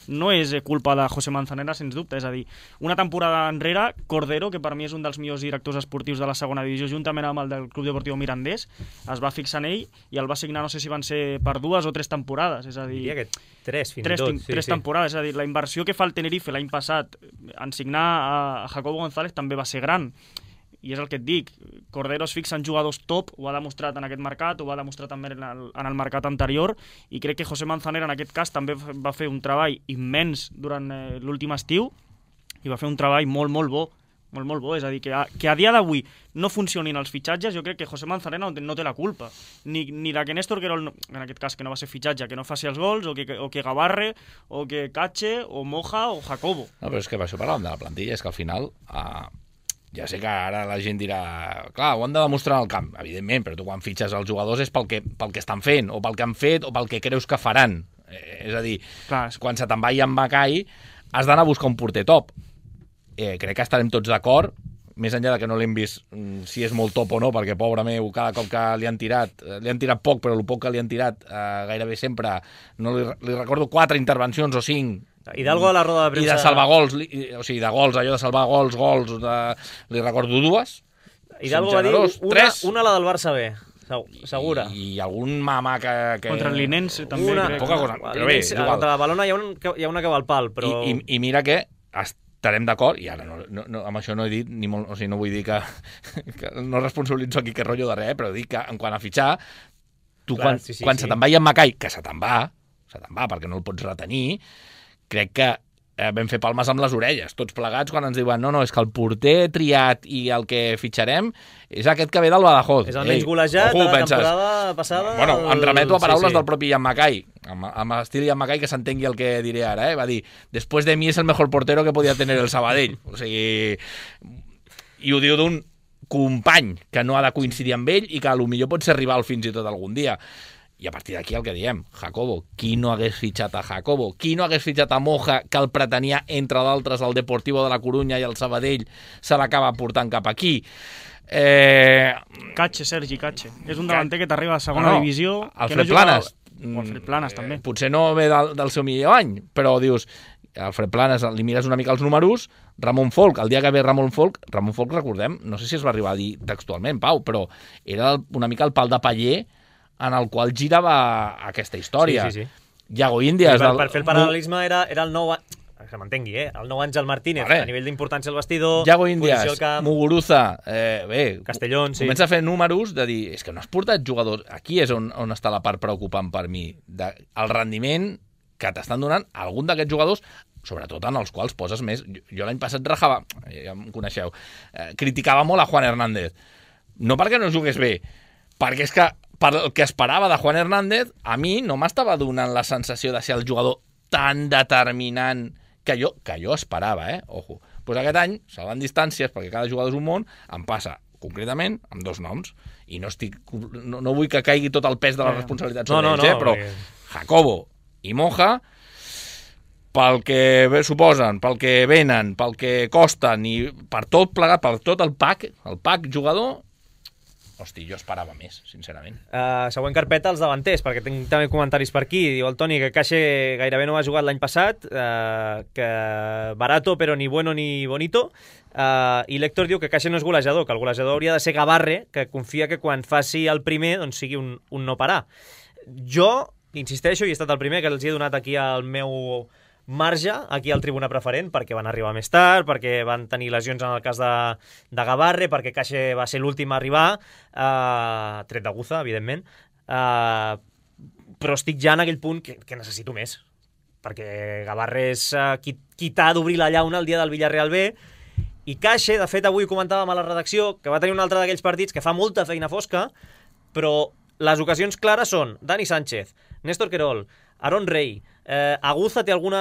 no és culpa de José Manzanera, sens dubte. És a dir, una temporada enrere, Cordero, que per mi és un dels millors directors esportius de la segona divisió, juntament amb el del Club Deportiu Mirandés, es va fixar en ell i el va signar, no sé si van ser per 2 o 3 temporades. És a dir, diria que 3, fins i tot. 3 temporades. És a dir, la inversió que fa el Tenerife l'any passat en signar a Jacobo González també va ser gran. I és el que et dic, Cordero es fixa en jugadors top, ho ha demostrat en aquest mercat, ho va demostrar també en el mercat anterior, i crec que José Manzanera en aquest cas també va fer un treball immens durant l'últim estiu, i va fer un treball molt, molt bo, molt, molt bo. És a dir, que a dia d'avui no funcionin els fitxatges, jo crec que José Manzanera no té la culpa, ni de que Néstor Querol, en aquest cas que no va ser fitxatge, que no faci els gols, o que Gavarre, o que Cache, o Moja, o Jacobo. No, però és que per això parlàvem de la plantilla, és que al final... Ja sé que ara la gent dirà, clar, ho han de demostrar al camp, evidentment, però tu quan fitxes els jugadors és pel que estan fent, o pel que han fet, o pel que creus que faran. És a dir, clar, quan se te'n va en Macai, has d'anar a buscar un porter top. Crec que estarem tots d'acord, més enllà de que no l'hem vist si és molt top o no, perquè, pobre meu, cada cop que li han tirat poc, però el poc que li han tirat gairebé sempre, no li recordo 4 intervencions o 5, Hidalgo a la roda de premsa... I de salvar gols, o sigui, de gols, allò de salvar gols, li recordo 2. Hidalgo va dir una la del Barça B, segura. I algun mamà que... Contra el Linense també, crec. Poca cosa, però bé, és igual. Contra la Balona hi ha una que va al pal, però... I mira que estarem d'acord, i ara amb això no he dit, ni molt, o sigui, no vull dir que no responsabilitzo aquí que rotllo de res, però dic que en quant a fitxar, tu quan se te'n va en Macai, que se te'n va perquè no el pots retenir, crec que vam fer palmes amb les orelles, tots plegats, quan ens diuen no, és que el porter triat i el que fitxarem és aquest que ve del Badajoz. És el menys golejat de la temporada passada. Bueno, em remeto a paraules del propi Ian Macai, amb estil Ian Macai, que s'entengui el que diré ara, va dir, después de mi es el mejor portero que podia tener el Sabadell. O sigui, i ho diu d'un company que no ha de coincidir amb ell i que potser pot ser rival fins i tot algun dia. I a partir d'aquí el que diem, Jacobo, qui no hagués fitxat a Jacobo? Qui no hagués fitxat a Moja, que el pretenia, entre d'altres, el Deportivo de la Corunya i el Sabadell, se l'acaba portant cap aquí? Sergi Cache. És un davanter que t'arriba a segona divisió. Alfred Planes. Alfred Planes, també. Potser no ve del seu millor any, però dius, Alfred Planes, li mires una mica els números, Ramon Folk, el dia que ve Ramon Folk, recordem, no sé si es va arribar a dir textualment, Pau, però era una mica el pal de paller en el qual girava aquesta història. Sí. Iago Índias... Per fer el paral·lelisme era el nou... Que m'entengui, el nou Àngel Martínez, a nivell d'importància al vestidor, Iago Índias, posició al camp... Muguruza, Castellón, sí. Comença a fer números de dir, és que no has portat jugadors... Aquí és on està la part preocupant per mi. El rendiment que t'estan donant algun d'aquests jugadors, sobretot en els quals poses més... Jo l'any passat rajava, ja em coneixeu, criticava molt a Juan Hernández. No perquè no jugués bé, perquè és que per el que esperava de Juan Hernández, a mi no m'estava donant la sensació de ser el jugador tan determinant que jo esperava, Ojo. Pues aquest any, salvant distàncies, perquè cada jugador és un món, em passa concretament amb 2 noms, i no vull que caigui tot el pes de la responsabilitat sobre ells, però Jacobo i Moja, pel que suposen, pel que venen, pel que costen, i per tot plegat, per tot el pack jugador, hosti, jo esperava més, sincerament. Següent carpeta, els davanters, perquè tinc també comentaris per aquí. Diu el Toni que Cache gairebé no ha jugat l'any passat, que barato però ni bueno ni bonito, i l'Héctor diu que Cache no és golejador, que el golejador hauria de ser Gavarre, que confia que quan faci el primer doncs sigui un no parar. Jo insisteixo, i he estat el primer que els he donat aquí al meu marge, aquí al Tribuna Preferent, perquè van arribar més tard, perquè van tenir lesions en el cas de Gavarre, perquè Cache va ser l'últim a arribar, tret de Guza, evidentment, però estic ja en aquell punt que necessito més, perquè Gavarre és qui t'ha d'obrir la llauna el dia del Villarreal B, i Cache, de fet, avui comentàvem a la redacció que va tenir un altre d'aquells partits que fa molta feina fosca, però les ocasions clares són Dani Sánchez, Néstor Querol, Aaron Rey, Aguza té alguna...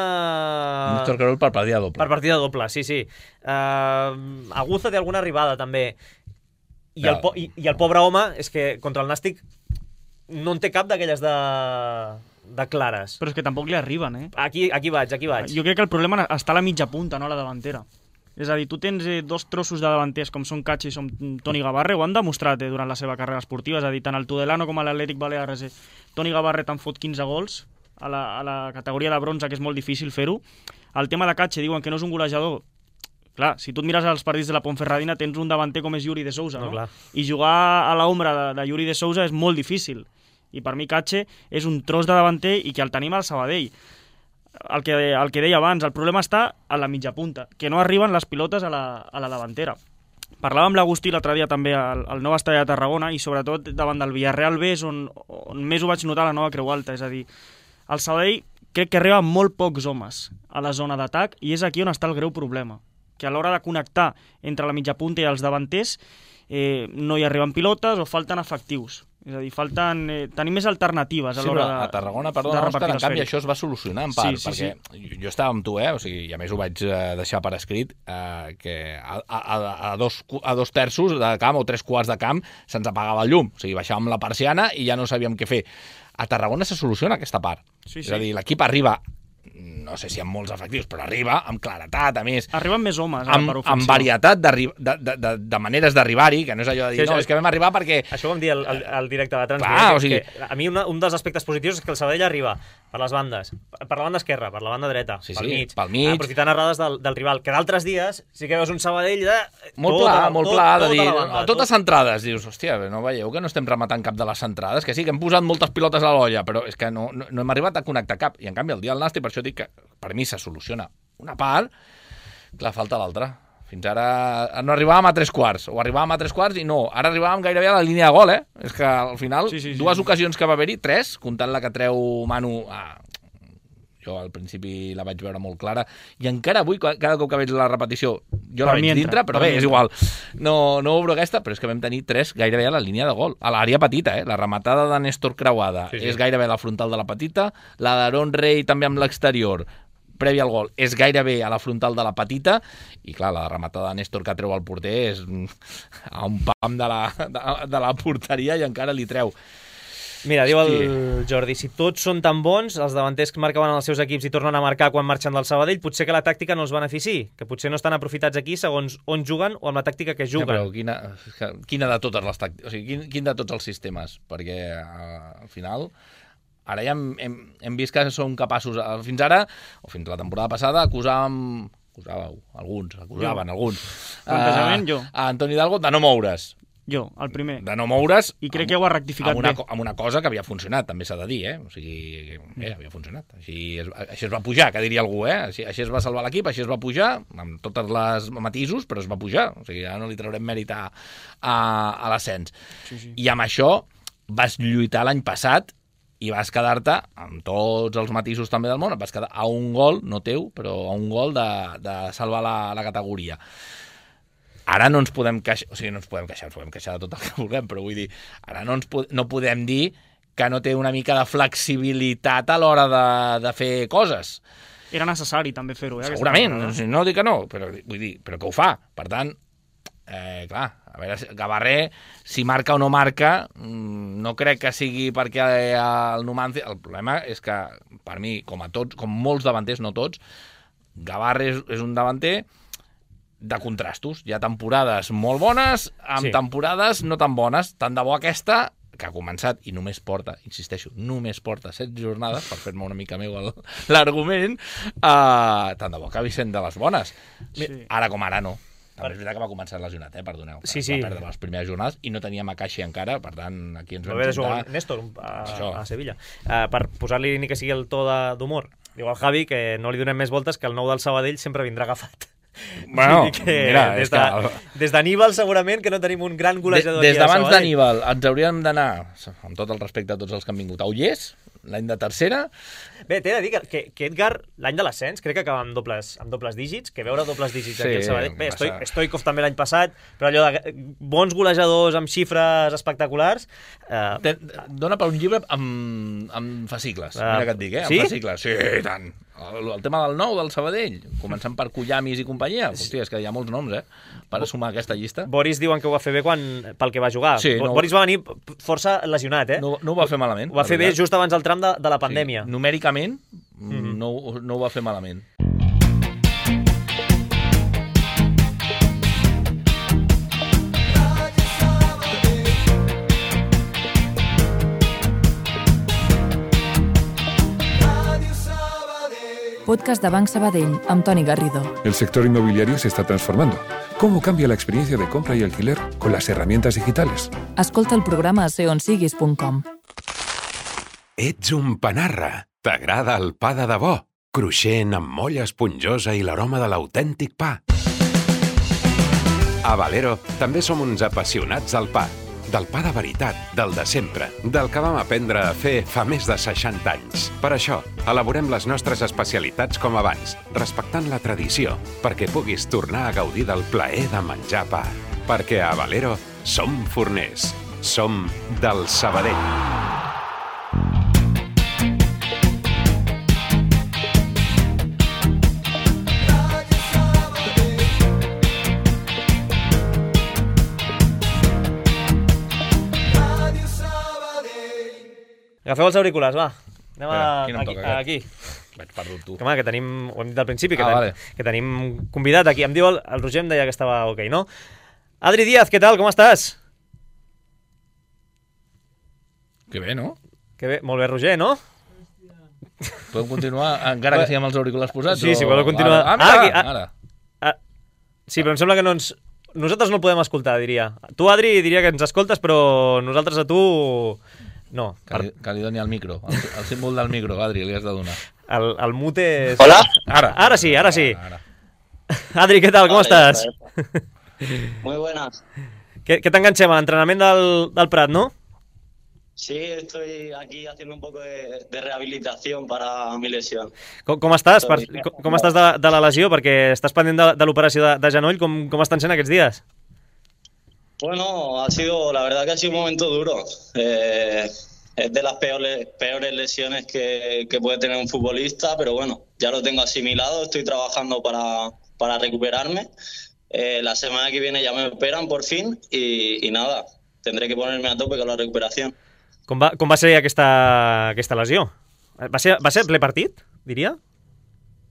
Néstor Querol per partida doble. Per partida doble, sí. Aguza té alguna arribada, també. I el pobre home, és que contra el Nàstic no en té cap d'aquelles de clares. Però és que tampoc li arriben, Aquí vaig. Jo crec que el problema està a la mitja punta, no a la davantera. És a dir, tu tens 2 trossos de davanters com són Cache i som Toni Gavarre, ho han demostrat durant la seva carrera esportiva, és a dir, tant el Tudelano com l'Atlètic Balears, Toni Gavarre te'n fot 15 gols a la categoria de bronze, que és molt difícil fer-ho. El tema de Cache, diuen que no és un golejador. Clar, si tu et mires els partits de la Ponferradina, tens un davanter com és Yuri de Sousa, no? I jugar a l'ombra de Yuri de Sousa és molt difícil. I per mi Cache és un tros de davanter i que el tenim al Sabadell. El que deia abans, el problema està a la mitja punta, que no arriben les pilotes a la davantera. Parlàvem amb l'Agustí l'altre dia també al nou estadi de Tarragona i sobretot davant del Villarreal B és on més ho vaig notar a la nova Creu Alta, és a dir, el Sabadell crec que arriba molt pocs homes a la zona d'atac i és aquí on està el greu problema, que a l'hora de connectar entre la mitja punta i els davanters no hi arriben pilotes o falten efectius. És a dir, tenir més alternatives a l'hora de... A Tarragona, perdona, Òscar, en canvi això es va solucionar en part, perquè jo estava amb tu, o sigui, i a més ho vaig deixar per escrit, que a 2 terços de camp o 3/4 de camp se'ns apagava el llum, o sigui, baixàvem la persiana i ja no sabíem què fer. A Tarragona se soluciona aquesta part. És a dir, l'equip arriba, no sé si amb molts efectius, però arriba amb claretat, a més. Arriben més homes per ofensiva. Amb varietat de maneres d'arribar-hi, que no és allò de dir, no, és que vam arribar perquè... Això ho vam dir al directe de Transmet. A mi un dels aspectes positius és que el Sabadell arriba per les bandes, per la banda esquerra, per la banda dreta, pel mig, aprofitant errades del rival, que d'altres dies sí que veus un Sabadell molt pla, de dir, totes centrades, dius, hòstia, no veieu que no estem rematant cap de les centrades, que sí, que hem posat moltes pilotes a l'olla, però és que no hem arribat a connectar cap, i en canvi el dia del Nàstic, per això dic que per mi se soluciona una part, clar, falta l'altra. Fins ara no arribàvem a 3/4, o arribàvem a 3/4 i no, ara arribàvem gairebé a la línia de gol, És que al final, dues ocasions que va haver-hi, 3, comptant la que treu Manu, jo al principi la vaig veure molt clara, i encara avui, cada cop que veig la repetició, jo la veig dintre, però bé, és igual. No obro aquesta, però és que vam tenir 3 gairebé a la línia de gol, a l'àrea petita, La rematada de Néstor creuada és gairebé a la frontal de la petita, la d'Aaron Rey també amb l'exterior, prèvia al gol, és gairebé a la frontal de la petita, i clar, la rematada de Néstor que treu al porter és a un pam de la porteria i encara li treu. Mira, diu el Jordi, si tots són tan bons, els davanters que marcaven els seus equips i tornen a marcar quan marxen del Sabadell, potser que la tàctica no els benefici, que potser no estan aprofitats aquí segons on juguen o amb la tàctica que juguen. Però quina de totes les tàctiques, o sigui, quin de tots els sistemes? Perquè al final... Ara ja hem vist que són capaços... Fins ara, o fins la temporada passada, acusaven alguns... Plantejament, jo. A Antoni Hidalgo de no moure's. Jo, el primer. De no moure's... I crec que ho ha rectificat bé. Amb una cosa que havia funcionat, també s'ha de dir, O sigui, havia funcionat. Així es va pujar, que diria algú, Així es va salvar l'equip, així es va pujar, amb tots els matisos, però es va pujar. O sigui, ja no li traurem mèrit a l'ascens. Sí. I amb això vas lluitar l'any passat i vas quedar-te, amb tots els matisos també del món, et vas quedar a un gol, no teu, però a un gol de salvar la categoria. Ara no ens podem queixar, ens podem queixar de tot el que vulguem, però vull dir, ara no podem dir que no té una mica de flexibilitat a l'hora de fer coses. Era necessari també fer-ho, Segurament, no dic que no, però vull dir, però que ho fa. Per tant, clar, a veure, Gabarré, si marca o no marca, no crec que sigui perquè el Numancia... El problema és que, per mi, com molts davanters, no tots, Gabarré és un davanter de contrastos. Hi ha temporades molt bones amb temporades no tan bones. Tant de bo aquesta, que ha començat i només porta, insisteixo, només porta 7 jornades, per fer-me una mica meu l'argument, tant de bo acabi sent de les bones. Sí. Ara com ara no. També és veritat que va començar lesionat, perdoneu. Sí. Va perdre les primeres jornades i no tenia Makashi encara, per tant, aquí ens vam juntar... juntar... Néstor, a Sevilla. Per posar-li ni que sigui el to d'humor. Diu al Javi que no li donem més voltes, que el nou del Sabadell sempre vindrà agafat. Bueno, mira, des d'Aníbal segurament que no tenim un gran golejador aquí a Sabadell. Des d'abans d'Aníbal ens hauríem d'anar, amb tot el respecte a tots els que han vingut, a Ullés, l'any de tercera. Bé, t'he de dir que Edgar, l'any de l'ascens, crec que acaba amb dobles dígits, que veure dobles dígits aquí al Sabadell. Bé, Stoikov també l'any passat, però allò de bons golejadors amb xifres espectaculars... Dona per un llibre amb fascicles, mira que et dic, amb fascicles. Sí, tant. El tema del nou, del Sabadell, començant per Kullamis i companyia. Hòstia, és que hi ha molts noms, per sumar aquesta llista. Boris diuen que ho va fer bé pel que va jugar. Sí, Boris va venir força lesionat, No ho va fer malament. Ho va fer bé just abans del tram de la pandèmia. Sí. Numèricament, no ho va fer malament. Podcast de Banc Sabadell, amb Toni Garrido. El sector inmobiliario se está transformando. ¿Cómo cambia la experiencia de compra y alquiler con las herramientas digitales? Escolta el programa a seonsiguis.com. Ets un panarra. T'agrada el pa de debò? Cruixent, amb molla esponjosa i l'aroma de l'autèntic pa. A Valero també som uns apassionats del pa. Del pa de veritat, del de sempre, del que vam aprendre a fer fa més de 60 anys. Per això, elaborem les nostres especialitats com abans, respectant la tradició, perquè puguis tornar a gaudir del plaer de menjar pa. Perquè a Valero som forners, som del Sabadell. Agafeu els auriculars, va. Anem aquí. Vaig perdut tu. Que tenim, ho hem dit al principi, que tenim convidat aquí. Em diu el Roger, em deia que estava ok, no? Adri Díaz, què tal? Com estàs? Que bé, no? Que bé, molt bé, Roger, no? Podem continuar, encara que siguem els auriculars posats? Sí, podeu continuar. Ara. Sí, però em sembla que no ens... Nosaltres no el podem escoltar, diria. Tu, Adri, diria que ens escoltes, però nosaltres a tu... No. Que li doni el micro, el símbol del micro, Adri, li has de donar. El mute és... Hola? Ara sí. Adri, què tal? Com estàs? Muy buenas. ¿Qué te enganché a l'entrenament del Prat, no? Sí, estoy aquí haciendo un poco de rehabilitación para mi lesión. Com estàs? Com estàs de la lesió? Perquè estàs pendent de l'operació de genoll. Com estan sent aquests dies? Bueno, la verdad que ha sido un momento duro. Es de las peores lesiones que puede tener un futbolista, pero bueno, ya lo tengo asimilado, estoy trabajando para recuperarme. La semana que viene ya me operan por fin y nada, tendré que ponerme a tope con la recuperación. Com va ser aquesta lesió? Va ser ple partit, diria?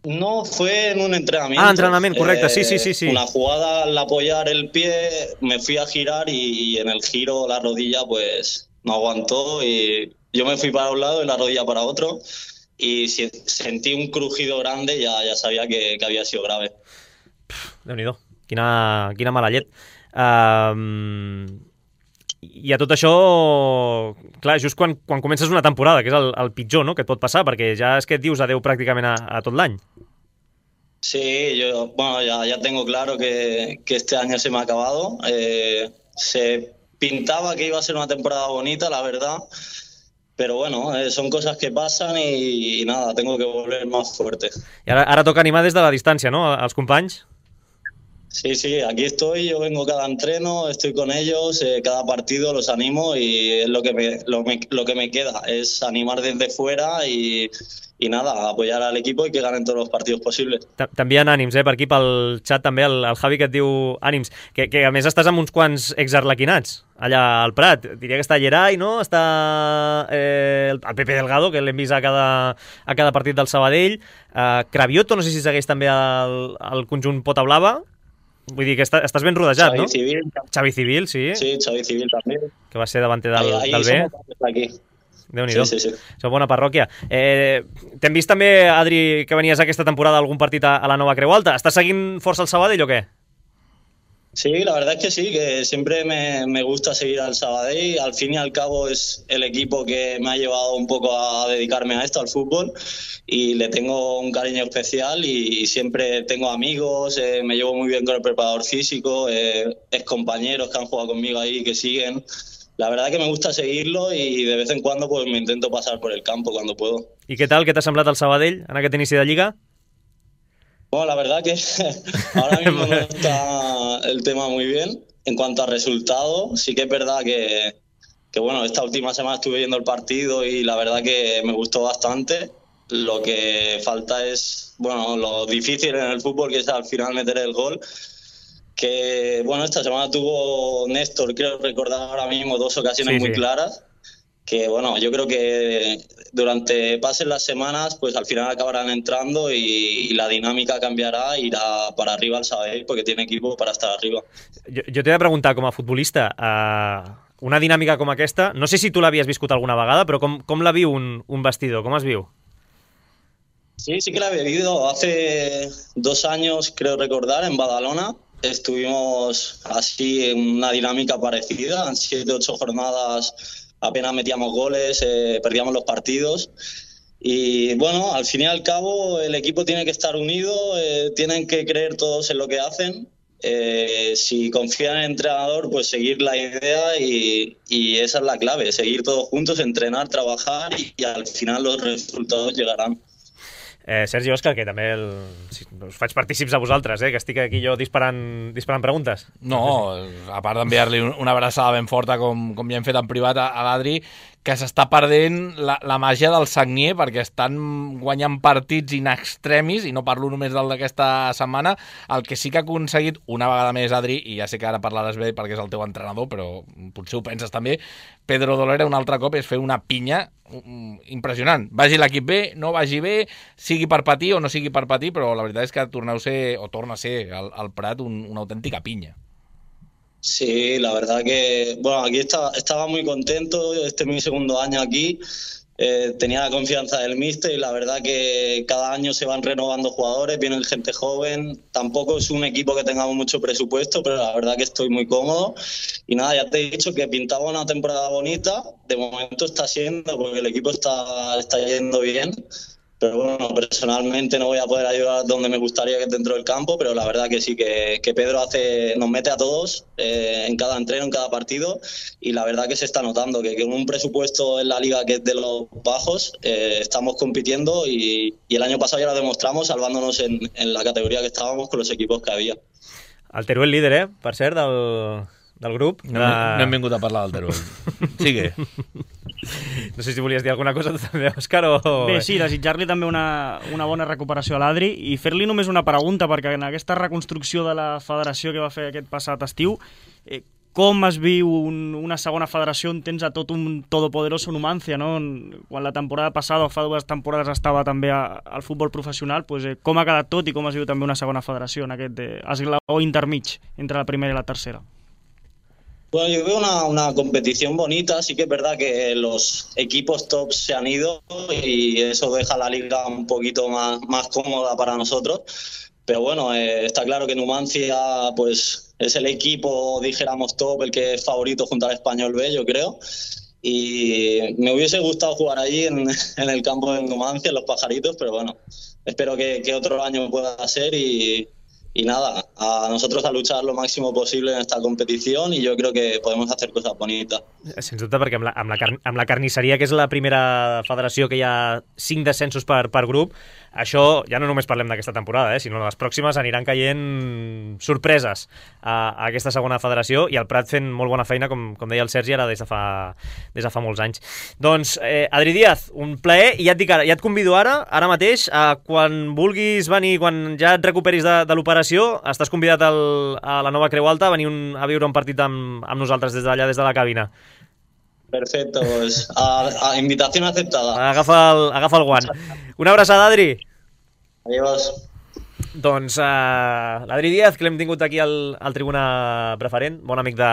No, fue en un entrenamiento. Entrenamiento, correcto, sí. Una jugada al apoyar el pie, me fui a girar y en el giro la rodilla pues no aguantó y yo me fui para un lado y la rodilla para otro y sentí un crujido grande, ya sabía que había sido grave. Déu-n'hi-do, quina mala llet. I a tot això, clar, just quan comences una temporada, que és el pitjor, no?, que et pot passar, perquè ja és que et dius adeu pràcticament a tot l'any. Sí, ya tengo claro que este año se me ha acabado. Se pintaba que iba a ser una temporada bonita, la verdad. Pero bueno, son cosas que pasan y nada, tengo que volver más fuerte. I ara toca animar des de la distància, no?, als companys? Sí, aquí estoy, yo vengo cada entreno, estoy con ellos, cada partido los animo y es lo que me queda, es animar desde fuera y nada, apoyar al equipo y que ganen todos los partidos posibles. T'envien ànims, per aquí pel xat també el Javi que et diu ànims, que a més estàs amb uns quants exarlequinats allà al Prat. Diria que està Gerai, no? Està el Pepe Delgado, que l'hem vist a cada partit del Sabadell. Cravioto, no sé si segueix també el conjunt Pota Blava. Vull dir que estàs ben rodejat, no? Xavi Civil, sí. Sí, Xavi Civil també. Que va ser davanter del B. Aquí. Déu-n'hi-do. Sí. Sou bona parròquia. T'hem vist també, Adri, que venies aquesta temporada a algun partit a la Nova Creu Alta. Estàs seguint força el Sabadell o què? Sí, la verdad es que sí, que siempre me gusta seguir al Sabadell. Al fin y al cabo es el equipo que me ha llevado un poco a dedicarme a esto, al fútbol, y le tengo un cariño especial y siempre tengo amigos, me llevo muy bien con el preparador físico, excompañeros que han jugado conmigo ahí, que siguen. La verdad que me gusta seguirlo y de vez en cuando pues me intento pasar por el campo cuando puedo. I què tal? Què t'ha semblat el Sabadell en aquest inici de Lliga? Bueno, la verdad que ahora mismo no está el tema muy bien. En cuanto a resultado, sí que es verdad que bueno, esta última semana estuve viendo el partido y la verdad que me gustó bastante. Lo que falta es, bueno, lo difícil en el fútbol, que es al final meter el gol. Que, bueno, esta semana tuvo Néstor, creo recordar ahora mismo, 2 ocasiones muy claras. Que, bueno, yo creo que durante pasen las semanas, pues al final acabarán entrando y la dinámica cambiará, irá para arriba el Sabadell, porque tiene equipo para estar arriba. Jo t'he de preguntar, com a futbolista, una dinàmica com aquesta, no sé si tu l'havies viscut alguna vegada, però com la viu un vestidor? Com es viu? Sí que la he vivido. Hace 2 años, creo recordar, en Badalona, estuvimos así en una dinámica parecida, en 7-8 jornadas apenas metíamos goles, perdíamos los partidos y bueno, al fin y al cabo el equipo tiene que estar unido, tienen que creer todos en lo que hacen, si confían en el entrenador pues seguir la idea y esa es la clave, seguir todos juntos, entrenar, trabajar y al final los resultados llegarán. Sergi, Òscar, que també us faig partícips a vosaltres, que estic aquí jo disparant preguntes. No, a part d'enviar-li una abraçada ben forta, com ja hem fet en privat a l'Adri, que s'està perdent la màgia del Sagnier, perquè estan guanyant partits in extremis, i no parlo només del d'aquesta setmana. El que sí que ha aconseguit una vegada més, Adri, i ja sé que ara parlaràs bé perquè és el teu entrenador, però potser ho penses també, Pedro Dolera un altre cop és fer una pinya impressionant. Vagi l'equip bé, no vagi bé, sigui per patir o no sigui per patir, però la veritat és que torna a ser al Prat una autèntica pinya. Sí, la verdad que, bueno, aquí estaba muy contento, este es mi segundo año aquí, tenía la confianza del míster y la verdad que cada año se van renovando jugadores, vienen gente joven, tampoco es un equipo que tengamos mucho presupuesto, pero la verdad que estoy muy cómodo y nada, ya te he dicho que pintaba una temporada bonita, de momento está siendo porque el equipo está yendo bien. Pero bueno, personalmente no voy a poder ayudar donde me gustaría, que es dentro del campo, pero la verdad que sí, que Pedro nos mete a todos en cada entreno, en cada partido, y la verdad que se está notando que con un presupuesto en la liga que es de los bajos, estamos compitiendo y el año pasado ya lo demostramos salvándonos en la categoría que estábamos con los equipos que había. El Teruel líder, per cert, del grup. No hem vingut a parlar del Teruel. Sigue. No sé si volies dir alguna cosa tu també, Òscar, o... Bé, sí, desitjar-li també una bona recuperació a l'Adri i fer-li només una pregunta, perquè en aquesta reconstrucció de la federació que va fer aquest passat estiu, com es viu una segona federació on tens a tot un todopoderoso Numancia, no? Quan la temporada passada o fa 2 temporades estava també al futbol professional, com ha quedat tot i com es viu també una segona federació en aquest esglaó intermig entre la primera i la tercera? Bueno, yo veo una competición bonita, sí que es verdad que los equipos tops se han ido y eso deja la liga un poquito más cómoda para nosotros, pero bueno, está claro que Numancia pues es el equipo, dijéramos top, el que es favorito junto al Español B, yo creo. Y me hubiese gustado jugar allí en el campo de Numancia, en Los Pajaritos, pero bueno, espero que otro año pueda ser y nada, a nosotros a luchar lo máximo posible en esta competición i jo crec que podem hacer cosas bonitas. Sens dubte, perquè amb la carnisseria, que és la primera federació que hi ha 5 descensos per grup, això ja no només parlem d'aquesta temporada, sinó les pròximes aniran caient sorpreses a aquesta segona federació i el Prat fent molt bona feina, com deia el Sergi, ara des de fa molts anys. Doncs, Adri Díaz, un plaer, i ja et dic ara, ja et convido ara mateix, quan vulguis venir, quan ja et recuperis de l'operació, estàs convidat a la Nova Creu Alta a venir a viure un partit amb nosaltres des d'allà, des de la cabina. Perfecto, pues a invitación aceptada. Agafa el guant. Una abraçada, Adri. Adiós. Doncs l'Adri Díaz, que l'hem tingut aquí al Tribuna Preferent, bon amic de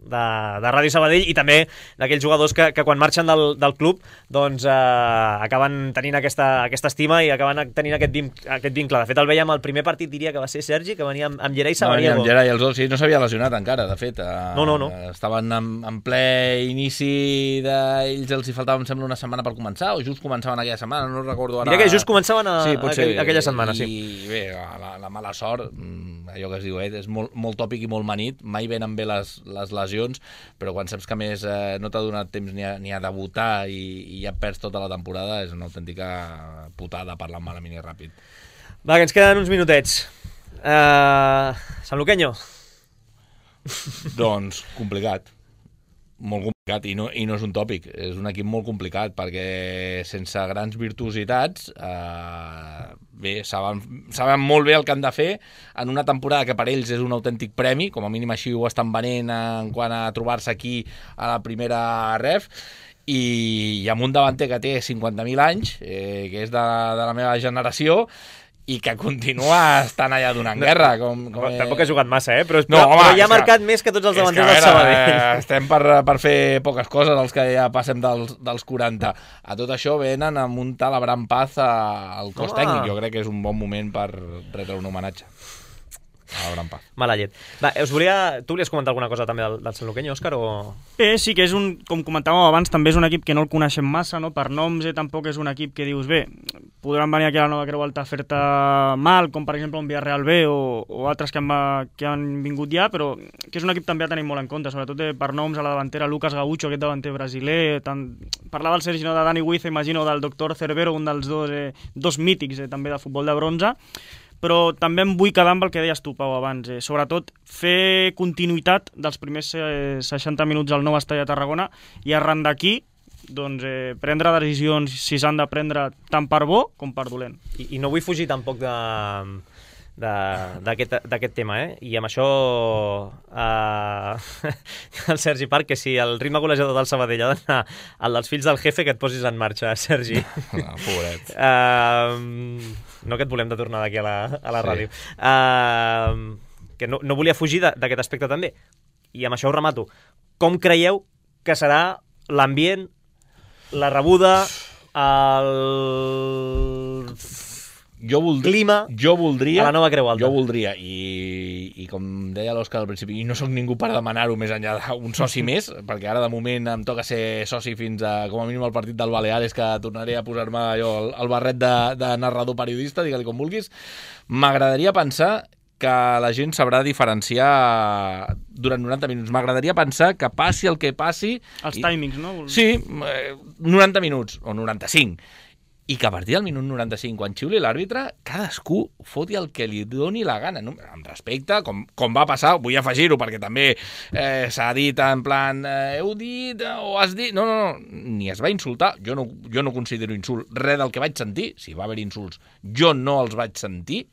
Ràdio Sabadell, i també d'aquells jugadors que quan marxen del club doncs acaben tenint aquesta estima i acaben tenint aquest vincle. De fet, el veiem al primer partit, diria que va ser Sergi, que venia amb Gerai Sabariego. Amb Gerai, els dos, sí, no s'havia lesionat encara, de fet. No. Estaven en ple inici d'ells, els hi faltava, em sembla, una setmana per començar, o just començaven aquella setmana, no recordo ara. Diria que just començaven aquella setmana, sí. I bé, la mala sort, allò que es diu, és molt tòpic i molt manit, mai venen bé les lesions, però quan saps que més no t'ha donat temps ni a debutar i ja perds tota la temporada, és una autèntica putada parlant malament i ràpid. Va, que ens queden uns minutets. Sanluqueño. Doncs complicat. Molt complicat, i no és un tòpic, és un equip molt complicat, perquè sense grans virtuositats bé, saben molt bé el que han de fer en una temporada que per ells és un autèntic premi, com a mínim així ho estan venent en quant a trobar-se aquí a la primera ref, i amb un davanter que té 50.000 anys, que és de la meva generació, i que continua estant allà donant guerra. Tampoc ha jugat massa, però ja ha marcat més que tots els davanters del Sabadell. Estem per fer poques coses, els que ja passem dels 40. A tot això venen amb un tal Abraham Paz al cos tècnic. Jo crec que és un bon moment per retre un homenatge a Abraham Paz. Mala llet. Va, tu volies comentar alguna cosa també del Sanluqueño, Òscar? Sí, que és com comentàvem abans, també és un equip que no el coneixem massa, no? Per noms tampoc és un equip que dius, bé, podran venir aquí a la Nova Creu Alta a fer-te mal, com per exemple un Villarreal B o altres que han vingut ja, però que és un equip també a tenir molt en compte, sobretot per noms a la davantera, Lucas Gaucho, aquest davanter brasiler, parlava el Sergi de Dani Huiza, imagino, del doctor Cervero, un dels dos mítics també de futbol de bronze, però també em vull quedar amb el que deies tu, Pau, abans. Sobretot, fer continuïtat dels primers 60 minuts al nou estadi de Tarragona i arran d'aquí doncs, prendre decisions si s'han de prendre tant per bo com per dolent. I no vull fugir tampoc d'aquest tema, i amb això el Sergi Parc, que si el ritme golejador del Sabadell ha d'anar al dels fills del jefe, que et posis en marxa, Sergi. Pobret. No que et volem de tornar d'aquí a la ràdio. Que no volia fugir d'aquest aspecte també. I amb això ho remato. Com creieu que serà l'ambient, la rebuda, clima a la Nova Creu Alta? Jo voldria, i com deia l'Òscar al principi, i no sóc ningú per demanar-ho més enllà d'un soci més, perquè ara de moment em toca ser soci fins a, com a mínim, al partit del Baleares, que tornaré a posar-me el barret de narrador periodista, digue-li com vulguis. M'agradaria pensar que la gent sabrà diferenciar durant 90 minuts. M'agradaria pensar que passi el que passi... Els timings, no? Sí, 90 minuts, o 95. I que a partir del minut 95, quan xiuli l'àrbitre, cadascú foti el que li doni la gana, no? Amb respecte, com va passar, vull afegir-ho, perquè també s'ha dit en plan, heu dit o has dit... No, ni es va insultar, jo no considero insult res del que vaig sentir, si va haver insults, jo no els vaig sentir,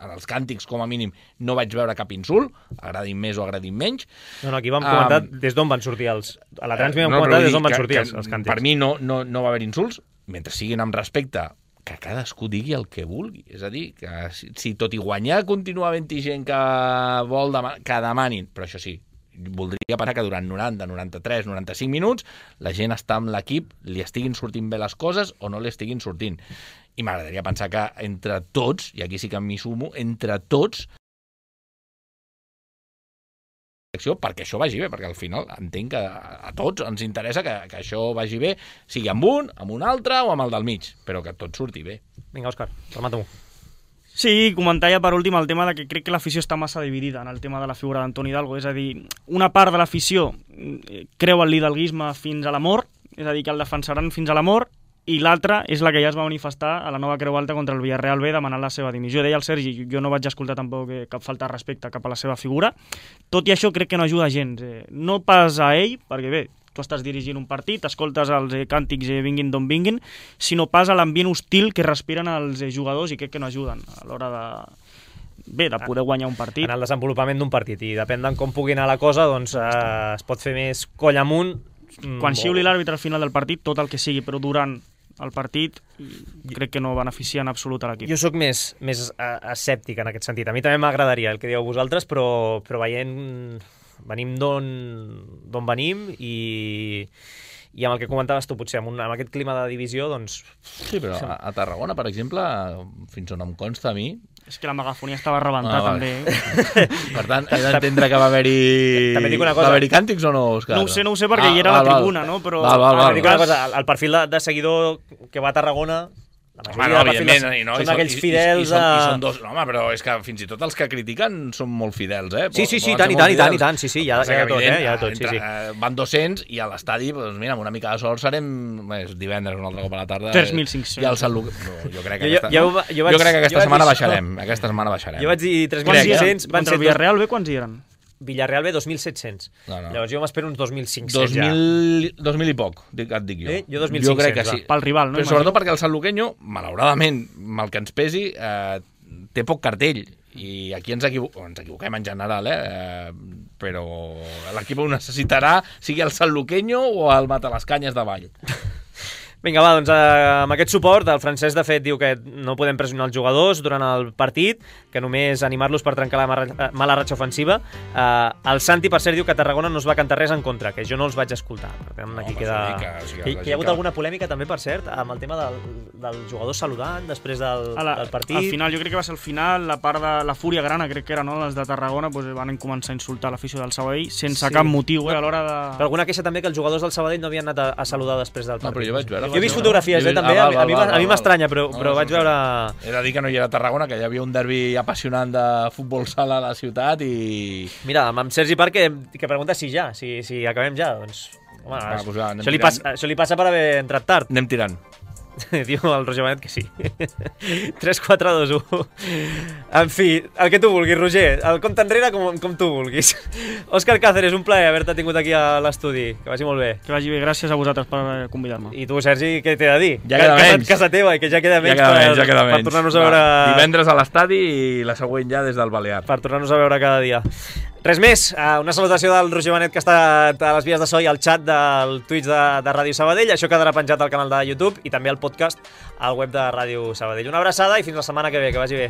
en els càntics, com a mínim, no vaig veure cap insult, agradin més o agradin menys. No, aquí vam comentar des d'on van sortir els... A la Transmi vam comentar des d'on van sortir els càntics. Per mi no va haver insults, mentre siguin amb respecte, que cadascú digui el que vulgui. És a dir, que si tot i guanyar continua havent-hi gent que vol que demanin, però això sí, voldria pensar que durant 90, 93, 95 minuts la gent està amb l'equip, li estiguin sortint bé les coses o no li estiguin sortint. I m'agradaria pensar que entre tots, i aquí sí que m'hi sumo, entre tots selecció perquè això vagi bé, perquè al final entenc que a tots ens interessa que això vagi bé, sigui amb un altre o amb el del mig, però que tot surti bé. Vinga, Òscar, remata-m'ho. Sí, comentar ja per últim el tema de que crec que l'afició està massa dividida en el tema de la figura d'Antoni Hidalgo, és a dir, una part de l'afició creu en l'hidalguisme fins a la mort, és a dir, que el defensaran fins a la mort, i l'altra és la que ja es va manifestar a la nova Creu Alta contra el Villarreal B demanant la seva dimissió. Deia el Sergi, jo no vaig escoltar tampoc cap falta de respecte cap a la seva figura, tot i això crec que no ajuda gens, no pas a ell, perquè bé, tu estàs dirigint un partit, escoltes els càntics vinguin d'on vinguin, sinó pas a l'ambient hostil que respiren els jugadors i crec que no ajuden a l'hora de poder guanyar un partit. En el desenvolupament d'un partit, i depèn de com pugui anar la cosa, doncs es pot fer més coll amunt. Quan xiuli l'àrbitre al final del partit, tot el que sigui, però durant el partit crec que no beneficia en absolut a l'equip. Jo sóc més escèptic en aquest sentit. A mi també m'agradaria el que dieu vosaltres, però veient... Venim d'on venim i amb el que comentaves tu, potser amb aquest clima de divisió, doncs... Sí, però a Tarragona, per exemple, fins on em consta a mi... És que la megafonia estava a rebentar, també. Per tant, he d'entendre que va haver-hi càntics o no, Òscar? No ho sé perquè hi era a la tribuna, no? Però... Val. Dic una cosa, el perfil de seguidor que va a Tarragona... Evidentment, són aquells fidels i són dos, no, home, però és que fins i tot els que critiquen són molt fidels, Sí, tant, hi ha de tot, hi ha de tot, sí. Van 200 i a l'estadi, doncs mira, amb una mica de sort serem divendres un altre cop a la tarda. 3.500. I el Sant Luc... Jo crec que aquesta setmana baixarem. Jo vaig dir 3.500. Contra el Villarreal B, quants hi eren? Villarreal B, 2.700. No. Llavors jo m'espero uns 2.500 ja. 2.000 i poc, et dic jo. Jo 2.500. Jo crec que sí. Pel rival, no? Però sobretot perquè el Sant Luqueño, malauradament, mal que ens pesi, té poc cartell. I aquí ens equivoquem en general, però l'equip ho necessitarà, sigui el Sant Luqueño o el Matalascanyes de Vall. Vinga, va, doncs amb aquest suport, el Francesc, de fet, diu que no podem pressionar els jugadors durant el partit, que només animar-los per trencar la mala ratxa ofensiva. El Santi, per cert, diu que a Tarragona no es va cantar res en contra, que jo no els vaig escoltar. Per tant, aquí queda... Hi ha hagut alguna polèmica, també, per cert, amb el tema del jugador saludant després del partit. Al final, jo crec que va ser al final, la part de la fúria grana, crec que era, no?, les de Tarragona, doncs van començar a insultar l'afició del Sabadell sense cap motiu, a l'hora de... Però alguna queixa també que els jugadors del Sabadell no havien anat a saludar després del partit. No, però jo vaig veure... Jo he vist fotografies, també, a mi m'estranya, però vaig veure... He de dir que no hi era a Tarragona, que hi havia un derbi apassionant de futbol sala a la ciutat i... Mira, amb Sergi Parc, que pregunta si acabem ja, doncs... Home, això li passa per haver entrat tard. Anem tirant. Diu el Roger Benet que sí. 3, 4, 2, 1. En fi, el que tu vulguis, Roger. El compte enrere com tu vulguis. Òscar Cáceres, un plaer haver-te tingut aquí a l'estudi. Que vagi molt bé. Que vagi bé, gràcies a vosaltres per convidar-me. I tu, Sergi, què t'he de dir? Ja queda menys. Casa teva, i que ja queda menys per tornar-nos a veure... Divendres a l'estadi i la següent ja des del Balear. Per tornar-nos a veure cada dia. Res més, una salutació del Roger Benet, que està a les vies de so i al xat del Twitch de Ràdio Sabadell. Això quedarà penjat al canal de YouTube i també al podcast al web de Ràdio Sabadell. Una abraçada i fins la setmana que ve, que vagi bé.